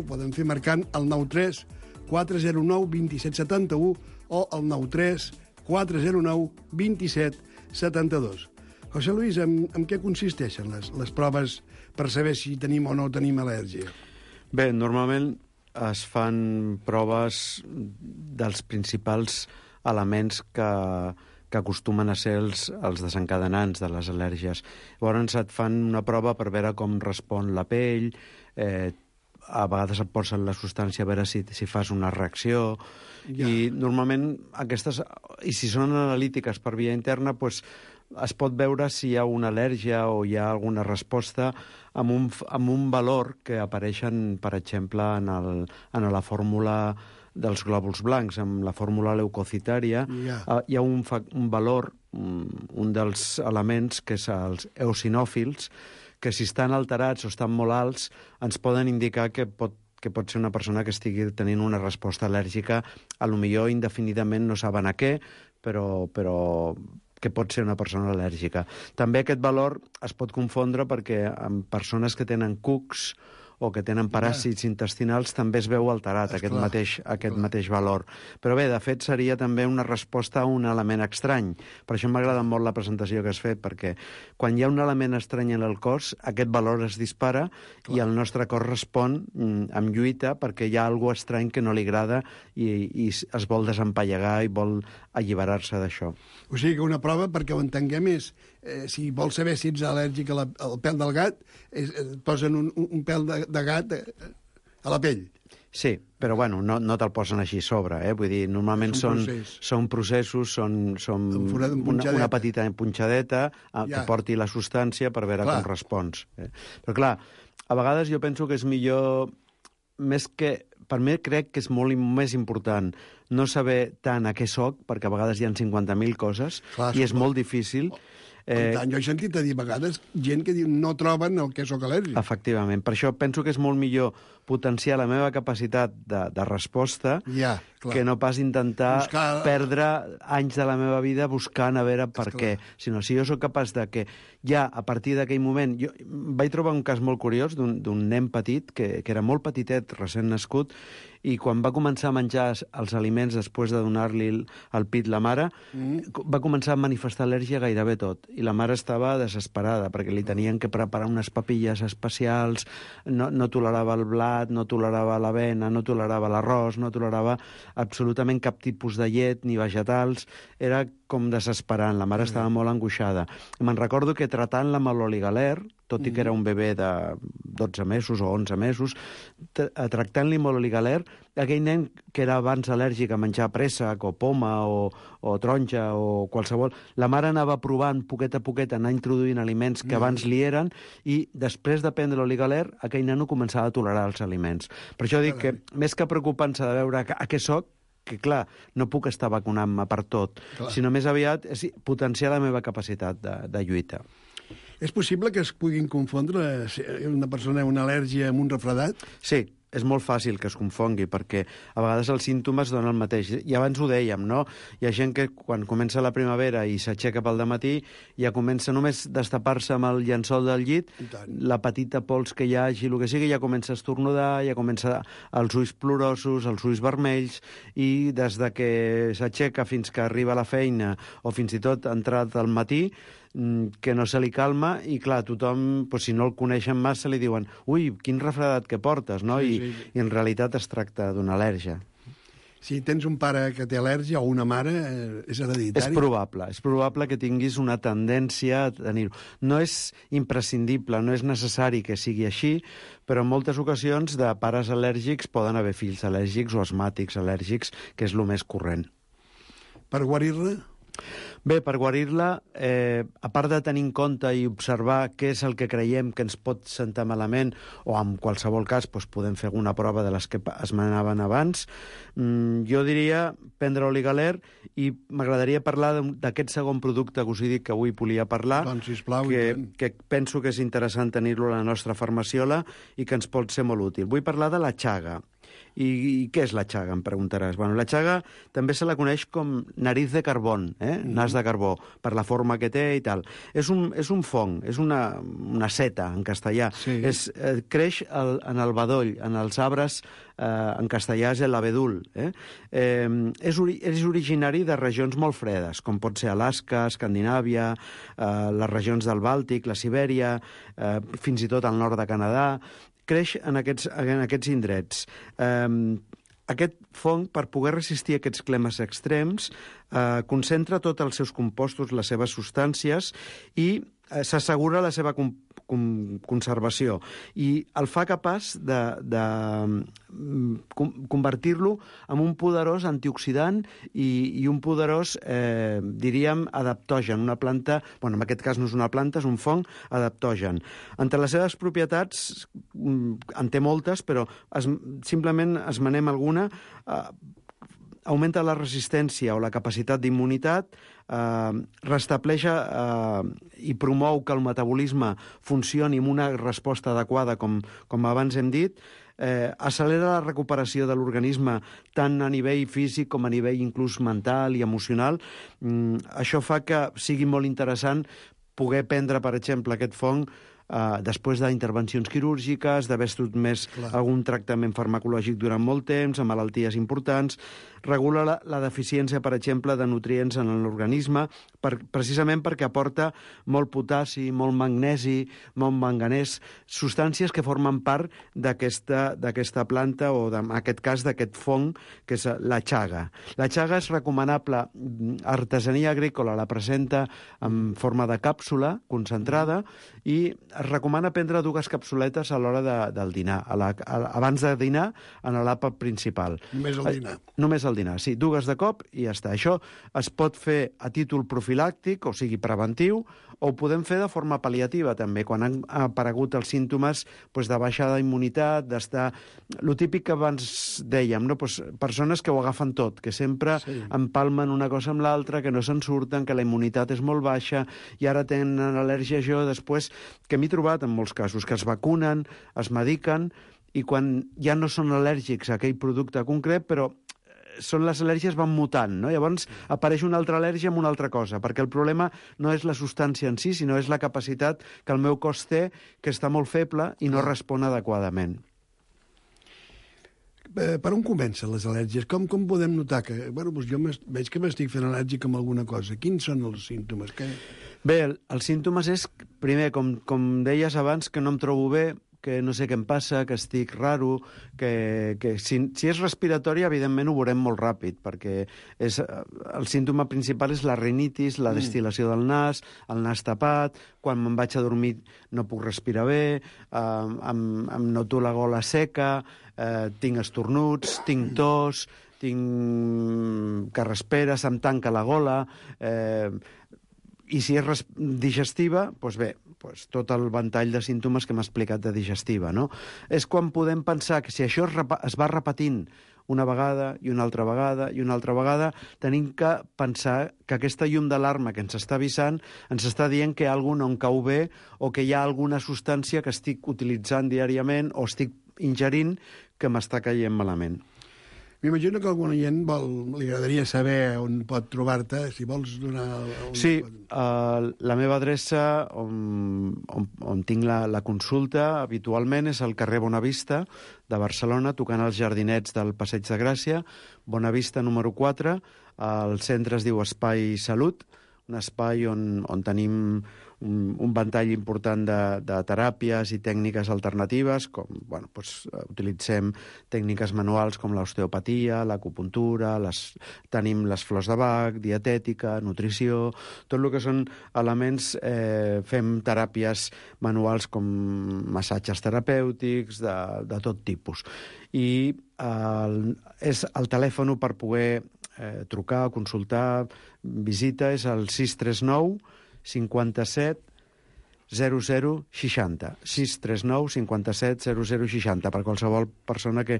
poden fer marcant el 93 409 27 71 o el 93 409 27 72. José Luis, en què consisteixen les proves per saber si tenim o no tenim al·lèrgia? Bé, normalment es fan proves dels principals elements que acostumen a ser els desencadenants de les al·lèrgies. Llavors et fan una prova per veure com respon la pell, a vegades et posen la substància a veure si fas una reacció, i normalment aquestes, i si són analítiques per via interna, doncs es pot veure si hi ha una al·lèrgia o hi ha alguna resposta amb un valor que apareixen, per exemple, en la fórmula dels glòbuls blancs, amb la fórmula leucocitària, hi ha un valor, un dels elements, que és els eosinòfils, que si estan alterats o estan molt alts, ens poden indicar que pot ser una persona que estigui tenint una resposta al·lèrgica, a lo millor indefinidament no saben a què, però que pot ser una persona al·lèrgica. També aquest valor es pot confondre perquè en persones que tenen cucs o que tenen paràsits intestinals també es veu alterat aquest mateix valor. Però bé, de fet, seria també una resposta a un element estrany. Per això m'agrada molt la presentació que has fet, perquè quan hi ha un element estrany en el cos, aquest valor es dispara i el nostre cos respon amb lluita perquè hi ha alguna cosa estrany que no li agrada i es vol desempallegar i vol alliberar-se d'això. O sigui que una prova, perquè ho entenguem, és si vols saber si ets al·lèrgic al pèl del gat, et posen un pèl de gat a la pell. Sí, però bueno, no te'l posen així a sobre, vull dir, normalment són processos, són una petita punxadeta que porti la substància per veure com respons. Però clar, a vegades jo penso que és millor, per mi crec que és molt més important no saber tant a què soc, perquè a vegades hi ha 50.000 coses i és molt difícil. Jo he sentit a dir a vegades gent que diu no troben el que soc al·lèrgic. Efectivament. Per això penso que és molt millor potenciar la meva capacitat de resposta que no pas intentar perdre anys de la meva vida buscant a veure per què. Sinó si jo sóc capaç de que ja a partir d'aquell moment... Jo vaig trobar un cas molt curiós d'un nen petit que era molt petitet, recent nascut, i quan va començar a menjar els aliments després de donar-li al pit la mare, va començar a manifestar al·lèrgia gairebé tot. I la mare estava desesperada perquè li tenien que preparar unes papilles especials, no tolerava el blat, no tolerava l'avena, no tolerava l'arròs, no tolerava absolutament cap tipus de llet ni vegetals. Era com desesperant, la mare estava molt angoixada. Me'n recordo que tratant-la amb l'oligaler, tot i que era un bebè de 12 mesos o 11 mesos, tractant-li amb l'oligaler, aquell nen que era abans al·lèrgic a menjar préssec o poma o taronja o qualsevol, la mare anava provant poquet a poquet, anar introduint aliments que abans li eren, i després de prendre l'oligaler, aquell nano començava a tolerar els aliments. Per això dic que, més que preocupant-se de veure a què soc, que clar, no puc estar vacunant-me per tot, sinó més aviat és potenciar la meva capacitat de lluita. És possible que es puguin confondre una persona amb una al·lèrgia amb un refredat? Sí, és molt fàcil que es confongui, perquè a vegades els símptomes donen el mateix. I abans ho dèiem, no? Hi ha gent que quan comença la primavera i s'aixeca pel dematí, ja comença només destapar-se amb el llençol del llit, la petita pols que hi hagi, el que sigui, ja comença a estornudar, ja comença els ulls plorosos, els ulls vermells, i des de que s'aixeca fins que arriba a la feina, o fins i tot entrat al matí, que no se li calma, i clar, tothom, si no el coneixen massa, li diuen ui, quin refredat que portes, no? I en realitat es tracta d'una al·lèrgia. Si tens un pare que té al·lèrgia o una mare, és hereditari? És probable que tinguis una tendència a tenir-ho. No és imprescindible, no és necessari que sigui així, però en moltes ocasions de pares al·lèrgics poden haver fills al·lèrgics o asmàtics al·lèrgics, que és el més corrent. Per guarir-la? Bé, per guarir-la, a part de tenir en compte i observar què és el que creiem que ens pot sentar malament, o en qualsevol cas podem fer alguna prova de les que es manaven abans, jo diria prendre oligaler, i m'agradaria parlar d'aquest segon producte que us he dit que avui volia parlar, doncs, sisplau, que penso que és interessant tenir-lo a la nostra farmaciola i que ens pot ser molt útil. Vull parlar de la Chaga. I què és la Chaga, em preguntaràs? Bueno, la Chaga també se la coneix com nariz de carbón, nas de carbó, per la forma que té i tal. És un fong, és una seta, en castellà. Sí. Creix en el bedoll, en els arbres, en castellà és l'abedul. És originari de regions molt fredes, com pot ser Alaska, Escandinàvia, les regions del Bàltic, la Sibèria, fins i tot al nord de Canadà. Creix en aquests indrets. Aquest fong, per poder resistir aquests climes extrems, concentra tots els seus compostos, les seves substàncies, i s'assegura la seva conservació. I el fa capaç de convertir-lo en un poderós antioxidant i un poderós, diríem, adaptogen. Una planta, en aquest cas no és una planta, és un fong adaptogen. Entre les seves propietats, en té moltes, però simplement esmenem alguna. Augmenta la resistència o la capacitat d'immunitat, restableix i promou que el metabolisme funcioni amb una resposta adequada, com abans hem dit, accelera la recuperació de l'organisme tant a nivell físic com a nivell inclús mental i emocional. Això fa que sigui molt interessant poder prendre, per exemple, aquest fong després d'intervencions quirúrgiques, d'haver sotmès algun tractament farmacològic durant molt temps, amb malalties importants. Regula la deficiència, per exemple, de nutrients en l'organisme, precisament perquè aporta molt potassi, molt magnesi, molt manganès, substàncies que formen part d'aquesta planta o, en aquest cas, d'aquest fong, que és la chaga. La chaga és recomanable. Artesania Agrícola la presenta en forma de càpsula concentrada i es recomana prendre 2 capsuletes a l'hora del dinar, abans de dinar, en l'àpat principal. Només al dinar. Només al dinar, sí. 2 de cop i ja està. Això es pot fer a títol profilàctic, o sigui, preventiu, o ho podem fer de forma pal·liativa, també, quan han aparegut els símptomes de baixada d'immunitat, d'estar... Lo típic que abans dèiem, no? Persones que ho agafen tot, que sempre empalmen una cosa amb l'altra, que no se'n surten, que la immunitat és molt baixa, i ara tenen al·lèrgia a això, després, que m'he trobat en molts casos, que es vacunen, es mediquen, i quan ja no són al·lèrgics a aquell producte concret, però les al·lèrgies van mutant, no? Llavors apareix una altra al·lèrgia amb una altra cosa, perquè el problema no és la substància en si, sinó és la capacitat que el meu cos té, que està molt feble i no respon adequadament. Per on comencen les al·lèrgies? Com podem notar que... jo veig que m'estic fent al·lèrgic amb alguna cosa. Quins són els símptomes? Bé, els símptomes és, primer, com deies abans, que no em trobo bé, que no sé què em passa, que estic raro, que si és respiratori, evidentment ho veurem molt ràpid, perquè el símptoma principal és la rinitis, la destil·lació del nas, el nas tapat, quan me'n vaig a dormir no puc respirar bé, em noto la gola seca, tinc estornuts, tinc tos, tinc carrasperes, em tanca la gola... I si és digestiva, doncs bé, tot el ventall de símptomes que m'ha explicat de digestiva, no? És quan podem pensar que si això es va repetint una vegada i una altra vegada i una altra vegada, tenim que pensar que aquesta llum d'alarma que ens està avisant ens està dient que alguna cosa no em cau bé o que hi ha alguna substància que estic utilitzant diàriament o estic ingerint que m'està caient malament. M'imagino que algun oient li agradaria saber on pot trobar-te, si vols donar... Sí, la meva adreça on tinc la consulta habitualment és al carrer Bonavista de Barcelona, tocant els jardinets del Passeig de Gràcia, Bonavista número 4, el centre es diu Espai Salut, un espai on tenim un ventall important de teràpies i tècniques alternatives, com utilitzem tècniques manuals com l'osteopatia, l'acupuntura, tenim les flors de Bach, dietètica, nutrició, tot el que són elements, fem teràpies manuals com massatges terapèutics de tot tipus. I és el telèfon per poder trucar, consultar, visita, és el 639 57 00 60. 639 57 00 60, per qualsevol persona que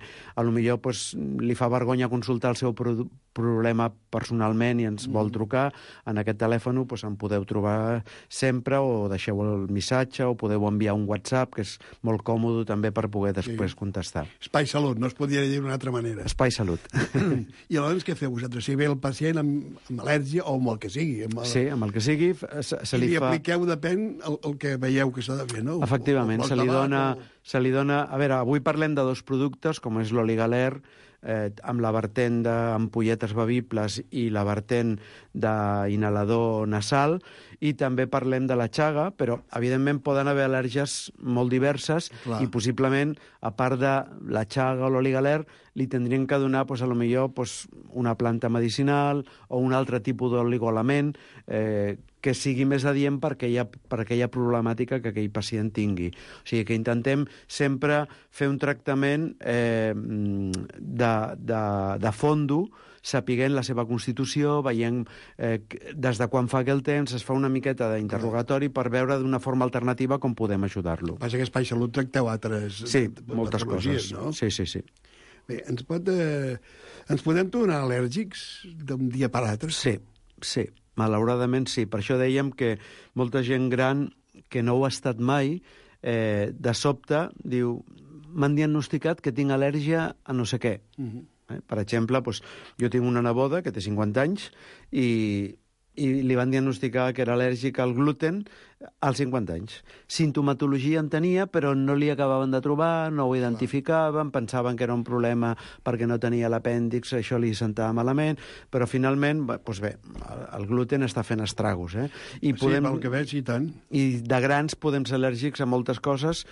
potser li fa vergonya consultar el seu problema personalment i ens vol trucar. En aquest telèfon em podeu trobar sempre, o deixeu el missatge, o podeu enviar un WhatsApp, que és molt còmode també per poder després contestar. Espai Salut, no es podria dir d'una altra manera. Espai Salut. I aleshores què feu vosaltres? Si ve el pacient amb al·lèrgia o amb el que sigui? Sí, amb el que sigui. I li apliqueu, depèn, el que veieu que s'ha de fer, no? Efectivament, se li dona... A veure, avui parlem de 2 productes, com és l'Oligaler, amb la vertent d'ampolletes bevibles i la vertent d'inhalador nasal, i també parlem de la chaga, però evidentment poden haver al·lèrgies molt diverses. Clar. I possiblement, a part de la chaga o l'Oligaler, li tindrien que donar una planta medicinal o un altre tipus d'oligoelement que sigui més adient per aquella problemàtica que aquell pacient tingui. O sigui que intentem sempre fer un tractament de fondo, sapiguent la seva constitució, veient des de quan fa aquell temps, es fa una miqueta d'interrogatori per veure d'una forma alternativa com podem ajudar-lo. Passa que a Espai Salut tracteu altres... Sí, moltes coses. No? Sí. Bé, ens podem tornar al·lèrgics d'un dia per l'altre? Sí, malauradament sí. Per això dèiem que molta gent gran que no ho ha estat mai, de sobte diu, m'han diagnosticat que tinc al·lèrgia a no sé què. Per exemple, jo tinc una neboda que té 50 anys i li van diagnosticar que era al·lèrgica al gluten Als 50 anys. Sintomatologia en tenia, però no li acabaven de trobar, no ho identificaven, pensaven que era un problema perquè no tenia l'apèndix, això li sentava malament, però finalment, doncs bé, el gluten està fent estragos. I podem... Sí, pel que veig, i tant. I de grans podem ser al·lèrgics a moltes coses,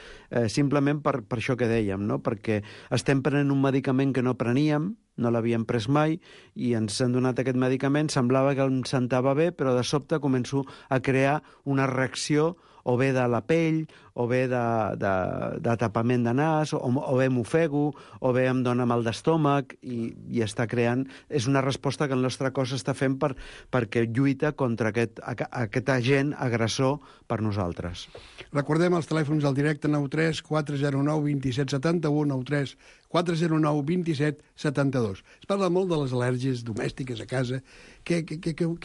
simplement per això que dèiem, no? Perquè estem prenent un medicament que no preníem, no l'havíem pres mai, i ens han donat aquest medicament, semblava que em sentava bé, però de sobte començo a crear una reacció o bé de la pell, o bé de tapament de nas, o bé m'ofego, o bé em dóna mal d'estómac, i està creant... És una resposta que el nostre cos està fent perquè lluita contra aquest agent agressor per nosaltres. Recordem els telèfons del directe 93 409 27 71, 93 409 27 72. Es parla molt de les al·lèrgies domèstiques a casa. Què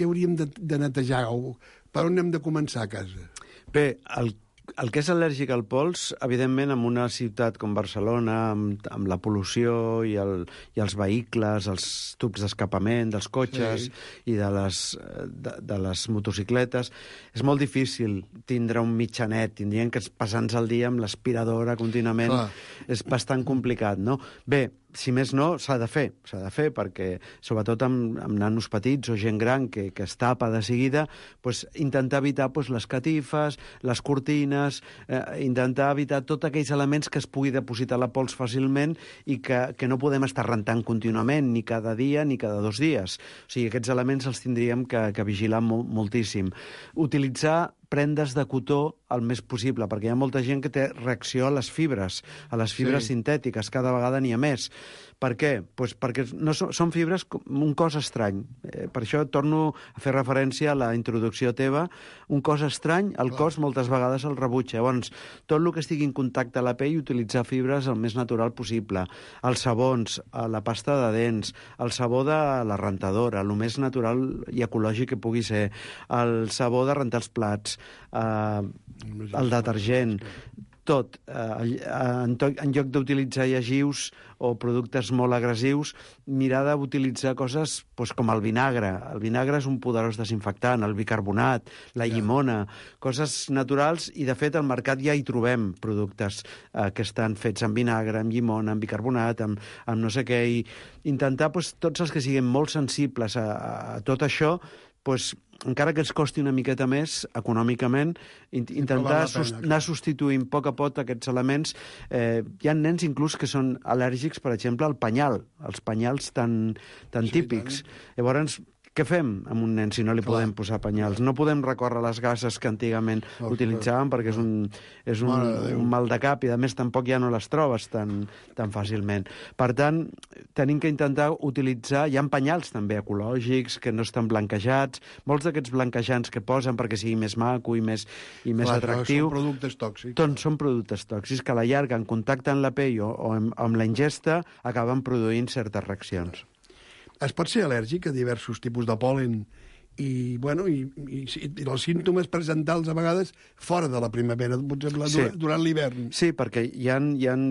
hauríem de netejar? O per on hem de començar a casa? Bé, el que és al·lèrgic al pols, evidentment, en una ciutat com Barcelona, amb la pol·lució i els vehicles, els tubs d'escapament dels cotxes i de les motocicletes, és molt difícil tindre un mitjanet. Tindrien que passar-nos el dia amb l'aspiradora contínuament. És bastant complicat, no? Bé, si més no, s'ha de fer, perquè sobretot amb nanos petits o gent gran que es tapa de seguida, intentar evitar les catifes, les cortines, intentar evitar tots aquells elements que es pugui depositar la pols fàcilment i que no podem estar rentant contínuament, ni cada dia ni cada 2 dies. O sigui, aquests elements els tindríem que vigilar moltíssim. Utilitzar prendes de cotó el més possible, perquè hi ha molta gent que té reacció a les fibres sintètiques, cada vegada n'hi ha més. Per què? Perquè són fibres un cos estrany. Per això torno a fer referència a la introducció teva. Un cos estrany, el cos moltes vegades el rebutja. Llavors, tot el que estigui en contacte a la pell, utilitzar fibres el més natural possible. Els sabons, la pasta de dents, el sabó de la rentadora, el més natural i ecològic que pugui ser, el sabó de rentar els plats, el detergent, tot. En lloc d'utilitzar llegius o productes molt agressius, mirar d'utilitzar coses com el vinagre. El vinagre és un poderós desinfectant, el bicarbonat, la llimona, coses naturals, i de fet al mercat ja hi trobem productes que estan fets amb vinagre, amb llimona, amb bicarbonat, amb no sé què, i intentar tots els que siguin molt sensibles a tot això, encara que ens costi una miqueta més econòmicament, intentar anar substituint a poc a poc aquests elements. Hi ha nens inclús que són al·lèrgics, per exemple, al penyal, els penyals tan típics. Llavors, què fem amb un nen si no li podem posar penyals? No podem recórrer a les gases que antigament utilitzàvem, perquè és un mal de cap, i a més tampoc ja no les trobes tan fàcilment. Per tant, tenim que intentar utilitzar... Hi ha penyals també ecològics que no estan blanquejats. Molts d'aquests blanquejants que posen perquè sigui més maco i més atractiu... Són productes tòxics. Doncs són productes tòxics que a la llarga, en contacte amb la pell o amb la ingesta, acaben produint certes reaccions. Es pot ser al·lèrgic a diversos tipus de pol·len i els símptomes presentals a vegades fora de la primavera, durant l'hivern. Sí, perquè hi ha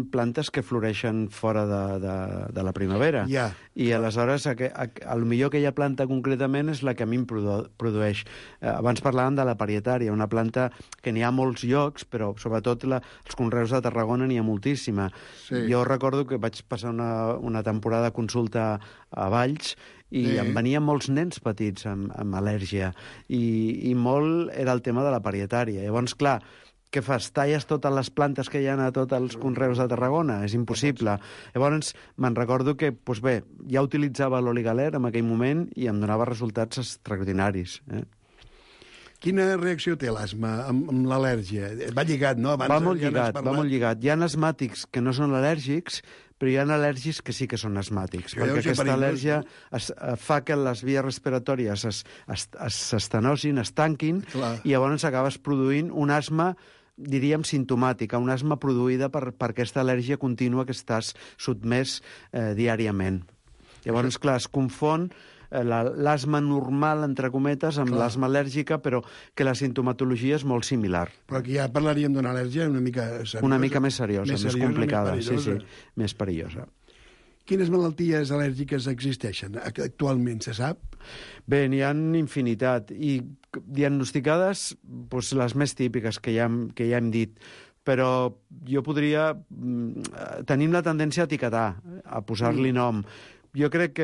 plantes que floreixen fora de la primavera. I aleshores, potser aquella planta concretament és la que a mi em produeix. Abans parlàvem de la parietària, una planta que n'hi ha molts llocs, però sobretot els conreus de Tarragona n'hi ha moltíssima. Jo recordo que vaig passar una temporada de consulta a Valls i em venien molts nens petits amb al·lèrgia, i molt era el tema de la parietària. Llavors, clar, què fas? Talles totes les plantes que hi ha a tots els conreus de Tarragona? És impossible. Llavors, me'n recordo que, ja utilitzava l'oligaler en aquell moment i em donava resultats extraordinaris. Quina reacció té l'asma amb l'al·lèrgia? Va lligat, no? Va molt lligat. Hi ha asmàtics que no són al·lèrgics, però hi ha al·lèrgics que sí que són asmàtics, perquè aquesta al·lèrgia fa que les vies respiratòries s'estenosin, es tanquin, i llavors acabes produint un asma, diríem, simptomàtica, una asma produïda per aquesta al·lèrgia contínua que estàs sotmès diàriament. Llavors, clar, es confon l'asma normal, entre cometes, amb l'asma al·lèrgica, però que la sintomatologia és molt similar. Però aquí ja parlaríem d'una al·lèrgia una mica seriosa. Una mica més seriosa, més complicada, més perillosa. Quines malalties al·lèrgiques existeixen actualment, se sap? Bé, n'hi ha infinitat, i diagnosticades doncs, les més típiques que ja hem dit, però jo podria... Tenim la tendència a etiquetar, a posar-li nom. Jo crec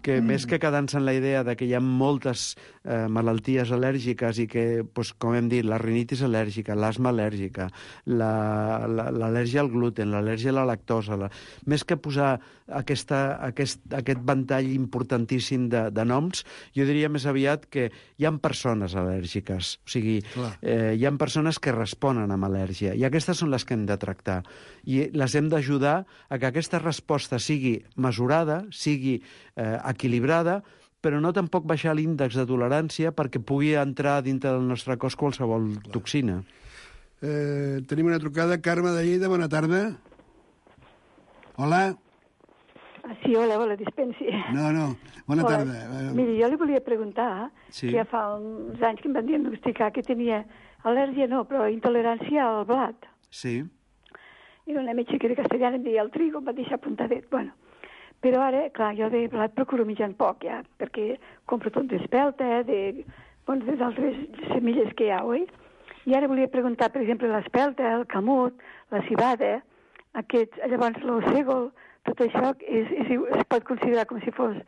que més que quedar-se en la idea de que hi ha moltes malalties al·lèrgiques i que, doncs, com hem dit, la rinitis al·lèrgica, l'asma al·lèrgica, l'al·lèrgia al gluten, l'al·lèrgia a la lactosa, més que posar aquest ventall importantíssim de noms, jo diria més aviat que hi ha persones al·lèrgiques. O sigui, hi ha persones que responen amb al·lèrgia, i aquestes són les que hem de tractar. I les hem d'ajudar a que aquesta resposta sigui mesurada, sigui equilibrada, però no tampoc baixar l'índex de tolerància perquè pugui entrar dintre del nostre cos qualsevol toxina. Tenim una trucada. Carme de Lleida, bona tarda. Hola. Sí, hola, dispensi. No, bona tarda. Miri, jo li volia preguntar que ja fa uns anys que em van diagnosticar que tenia al·lèrgia, però intolerància al blat. Sí. I una metge que era castellana em deia el trigo, em va deixar apuntadet. Bueno, però ara, clar, jo de blat procuro menjant poc, ja, perquè compro tot d'espelta, d'altres semilles que hi ha, oi? I ara volia preguntar, per exemple, l'espelta, el camut, la cibada, llavors l'ossègol, tot això es pot considerar com si fos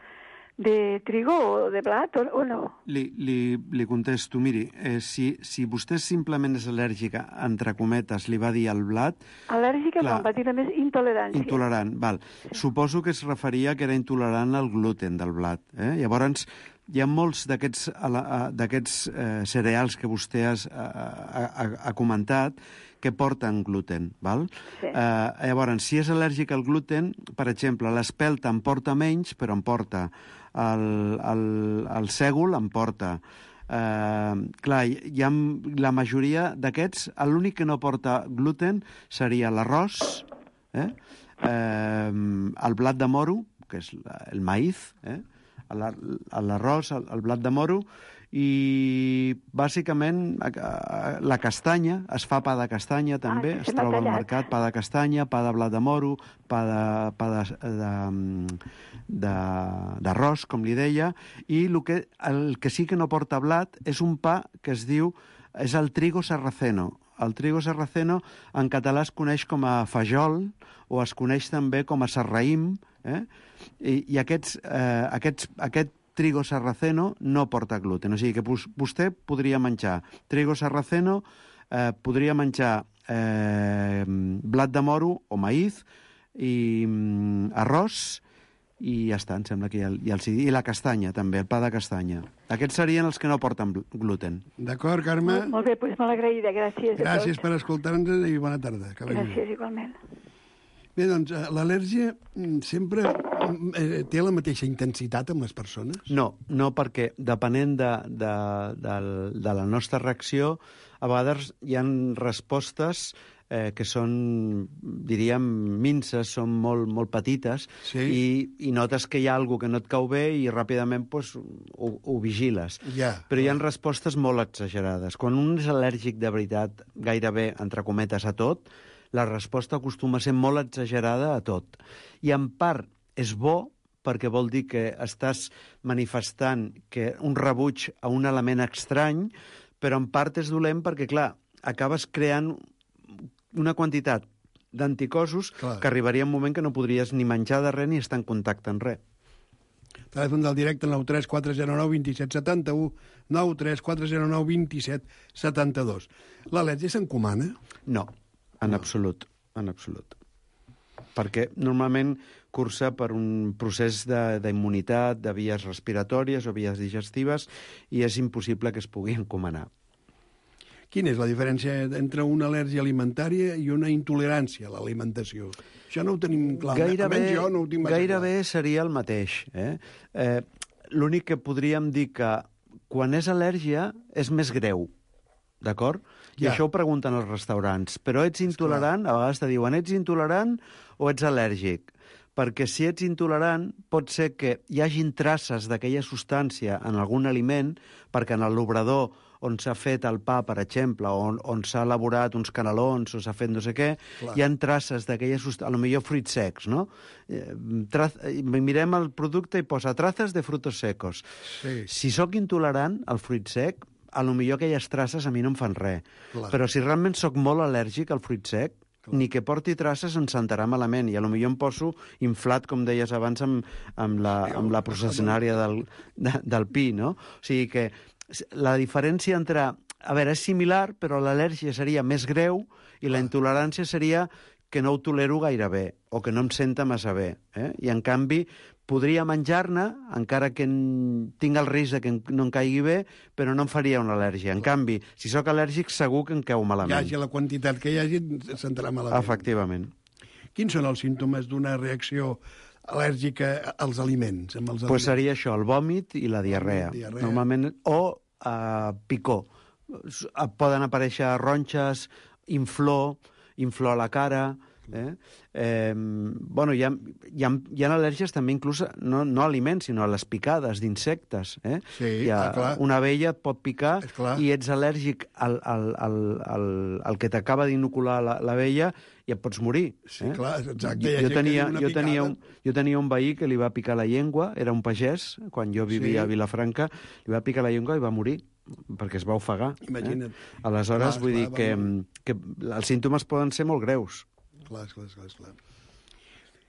de trigo o de blat o no? Li contesto, miri, si vostè simplement és al·lèrgica, entre cometes, li va dir al blat... Al·lèrgica no, em va dir només intolerància. Intolerant, val. Suposo que es referia que era intolerant al gluten del blat. Llavors, hi ha molts d'aquests cereals que vostè ha comentat que porten gluten, val? Sí. Llavors, si és al·lèrgic al gluten, per exemple, l'espelta en porta menys, però en porta. El sègol en porta. Clar, hi ha la majoria d'aquests, l'únic que no porta gluten seria l'arròs, el blat de moro, que és el maïz, l'arròs, el blat de moro, i bàsicament la castanya, es fa pa de castanya també, es troba al mercat, pa de castanya, pa de blat de moro, pa d'arròs, com li deia, i el que sí que no porta blat és un pa que és el trigo sarraceno. El trigo sarraceno en català es coneix com a fajol o es coneix també com a sarraïm, i aquest trigo sarraceno no porta gluten. O sigui que vostè podria menjar trigo sarraceno, podria menjar blat de moro o maïz i arròs, i ja està, em sembla que i la castanya també, el pa de castanya. Aquests serien els que no porten gluten. D'acord, Carme? Molt bé, doncs molt agraïda, gràcies. Gràcies per escoltar-nos i bona tarda. Gràcies, igualment. Bé, doncs, l'al·lèrgia sempre té la mateixa intensitat amb les persones? No, perquè depenent de la nostra reacció, a vegades hi ha respostes que són, diríem, minces, són molt petites, sí. i notes que hi ha alguna que no et cau bé i ràpidament ho vigiles. Yeah. Però hi ha respostes molt exagerades. Quan un és al·lèrgic de veritat, gairebé, entre cometes, a tot, la resposta acostuma a ser molt exagerada a tot. I en part és bo perquè vol dir que estàs manifestant un rebuig a un element estrany, però en part és dolent perquè, clar, acabes creant una quantitat d'anticossos que arribaria un moment que no podries ni menjar de res ni estar en contacte amb res. Telèfon del directe 93 409 27 71, 93 409 27 72. L'al·lèrgia s'encomana? No, en absolut, en absolut. Perquè normalment cursa per un procés d'immunitat, de vies respiratòries o vies digestives, i és impossible que es pugui encomanar. Quina és la diferència entre una al·lèrgia alimentària i una intolerància a l'alimentació? Això no ho tenim clar. Almenys jo no ho tinc gairebé seria el mateix. L'únic que podríem dir que quan és al·lèrgia és més greu, d'acord? I això ho pregunten als restaurants. Però ets intolerant, a vegades te diuen ets intolerant o ets al·lèrgic? Perquè si ets intolerant pot ser que hi hagin traces d'aquella substància en algun aliment, perquè en l'obrador on s'ha fet el pa, per exemple, on s'ha elaborat uns canelons o s'ha fet no sé què, hi ha traces d'aquelles, a lo millor fruits secs, no? Mirem el producte i posa traces de frutos secos. Sí. Si sóc intolerant al fruit sec, a lo millor aquelles traces a mi no em fan res. Però si realment sóc molt al·lèrgic al fruit sec, ni que porti traces em sentarà malament, i a lo millor em poso inflat, com deies abans, amb la processionària del pi, no? O sigui que la diferència entre... A veure, és similar, però l'al·lèrgia seria més greu i la intolerància seria que no ho tolero gaire bé o que no em senta massa bé. I, en canvi, podria menjar-ne, encara que tinc el risc de que no em caigui bé, però no em faria una al·lèrgia. En canvi, si sóc al·lèrgic, segur que em cau malament. Hi hagi la quantitat que hi hagi, sentarà malament. Efectivament. Quins són els símptomes d'una reacció al·lèrgica als aliments? Pues seria això, el vòmit i la diarrea. Normalment, o picor. Poden aparèixer ronxes, inflor a la cara... Bueno, hi ha al·lèrgies també inclús no a aliments, sinó a les picades d'insectes. Sí, clar. Una abella et pot picar i ets al·lèrgic al que t'acaba d'inocular l'abella i et pots morir. Sí, clar, exacte. Jo tenia un veí que li va picar la llengua, era un pagès, quan jo vivia a Vilafranca, li va picar la llengua i va morir, perquè es va ofegar. Imagina't. Aleshores, vull dir que els símptomes poden ser molt greus. Clar.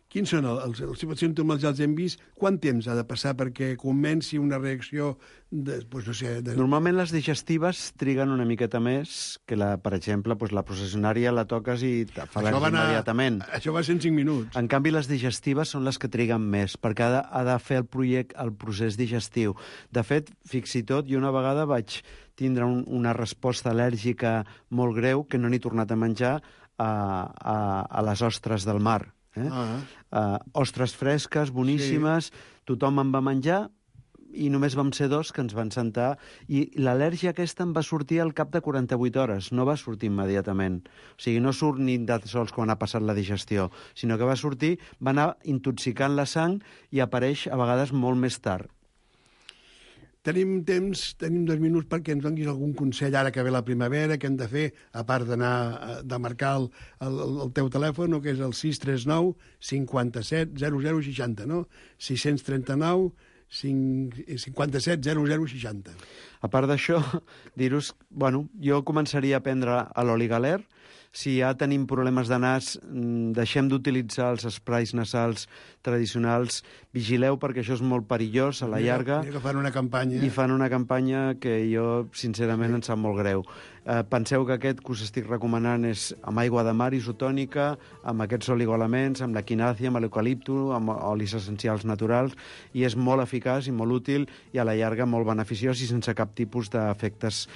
Quins són els símptomes? Ja els hem vist. Quant temps ha de passar perquè comenci una reacció Normalment les digestives triguen una miqueta més que, per exemple, la processionària la toques i te fa al·lèrgia immediatament. Això va ser en 5 minuts. En canvi, les digestives són les que triguen més, perquè ha de fer el procés digestiu. De fet, fins i tot, jo una vegada vaig tindre una resposta al·lèrgica molt greu que no n'he tornat a menjar a les ostres del mar. Ostres fresques, boníssimes, tothom en va menjar i només vam ser 2 que ens van sentar, i l'al·lèrgia aquesta em va sortir al cap de 48 hores, no va sortir immediatament. O sigui, no surt ni de sols quan ha passat la digestió, sinó que va sortir, va anar intoxicant la sang i apareix a vegades molt més tard. Tenim 2 minuts perquè ens donis algun consell ara que ve la primavera, que hem de fer, a part de marcar el teu telèfon, que és el 639 57 0060, no? 639 57 0060. A part d'això, dir-vos, jo començaria a prendre l'oli galer. Si ja tenim problemes de nas, deixem d'utilitzar els sprays nasals tradicionals. Vigileu, perquè això és molt perillós a la llarga. Mira que fan una campanya. I fan una campanya que jo, sincerament, em sap molt greu. Penseu que aquest que us estic recomanant és amb aigua de mar isotònica, amb aquests oligoelements, amb l'equinàcia, amb l'eucalipto, amb olis essencials naturals, i és molt eficaç i molt útil i a la llarga molt beneficiós i sense cap tipus d'efectes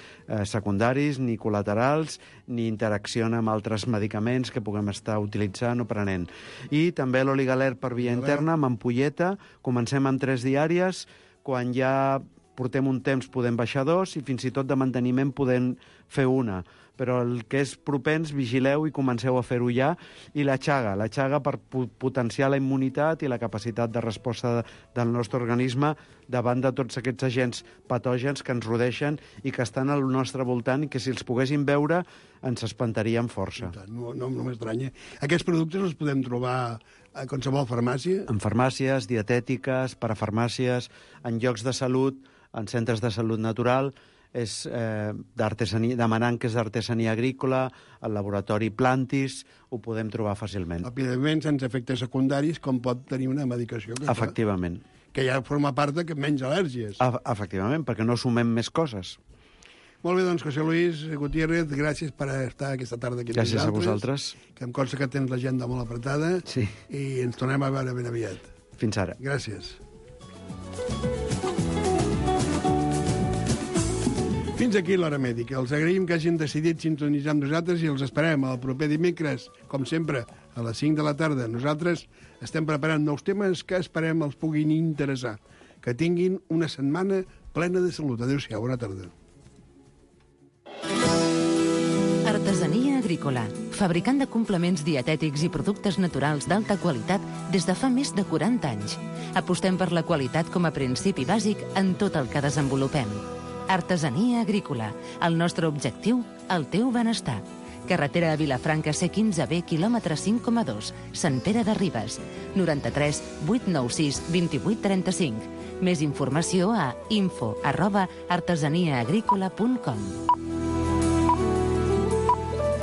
secundaris, ni col·laterals, ni interacció amb altres medicaments que puguem estar utilitzant o prenent. I també l'oli galer per via interna, amb ampolleta. Comencem amb 3 diàries. Quan ja portem un temps podem baixar 2 i fins i tot de manteniment podem fer 1. Però el que és propens, vigileu i comenceu a fer-ho ja. I la xaga per potenciar la immunitat i la capacitat de resposta del nostre organisme davant de tots aquests agents patògens que ens rodeixen i que estan al nostre voltant i que si els poguéssim veure ens espantarien força. No m'estranya. Aquests productes els podem trobar a qualsevol farmàcia? En farmàcies, dietètiques, parafarmàcies, en llocs de salut, en centres de salut natural, és demanant que és d'artesania agrícola, al laboratori Plantis, ho podem trobar fàcilment. Òbviament, sense efectes secundaris, com pot tenir una medicació. Efectivament. Que ja forma part de menys al·lèrgies. Efectivament, perquè no sumem més coses. Molt bé, doncs, José Luis Gutiérrez, gràcies per estar aquesta tarda aquí amb nosaltres. Gràcies a vosaltres. Que em consta que tens l'agenda molt apretada. Sí. I ens tornem a veure ben aviat. Fins ara. Gràcies. Fins aquí l'Hora Mèdica. Els agraïm que hagin decidit sintonitzar amb nosaltres i els esperem el proper dimecres, com sempre, a les 5 de la tarda. Nosaltres estem preparant nous temes que esperem els puguin interessar. Que tinguin una setmana plena de salut. Adéu-siau, bona tarda. Artesania agrícola, fabricant de complements dietètics i productes naturals d'alta qualitat des de fa més de 40 anys. Apostem per la qualitat com a principi bàsic en tot el que desenvolupem. Artesania agrícola. El nostre objectiu, el teu benestar. Carretera de Vilafranca C15B, quilòmetre 5,2, Sant Pere de Ribes. 93 896 2835. Més informació a info@artesaniaagrícola.com.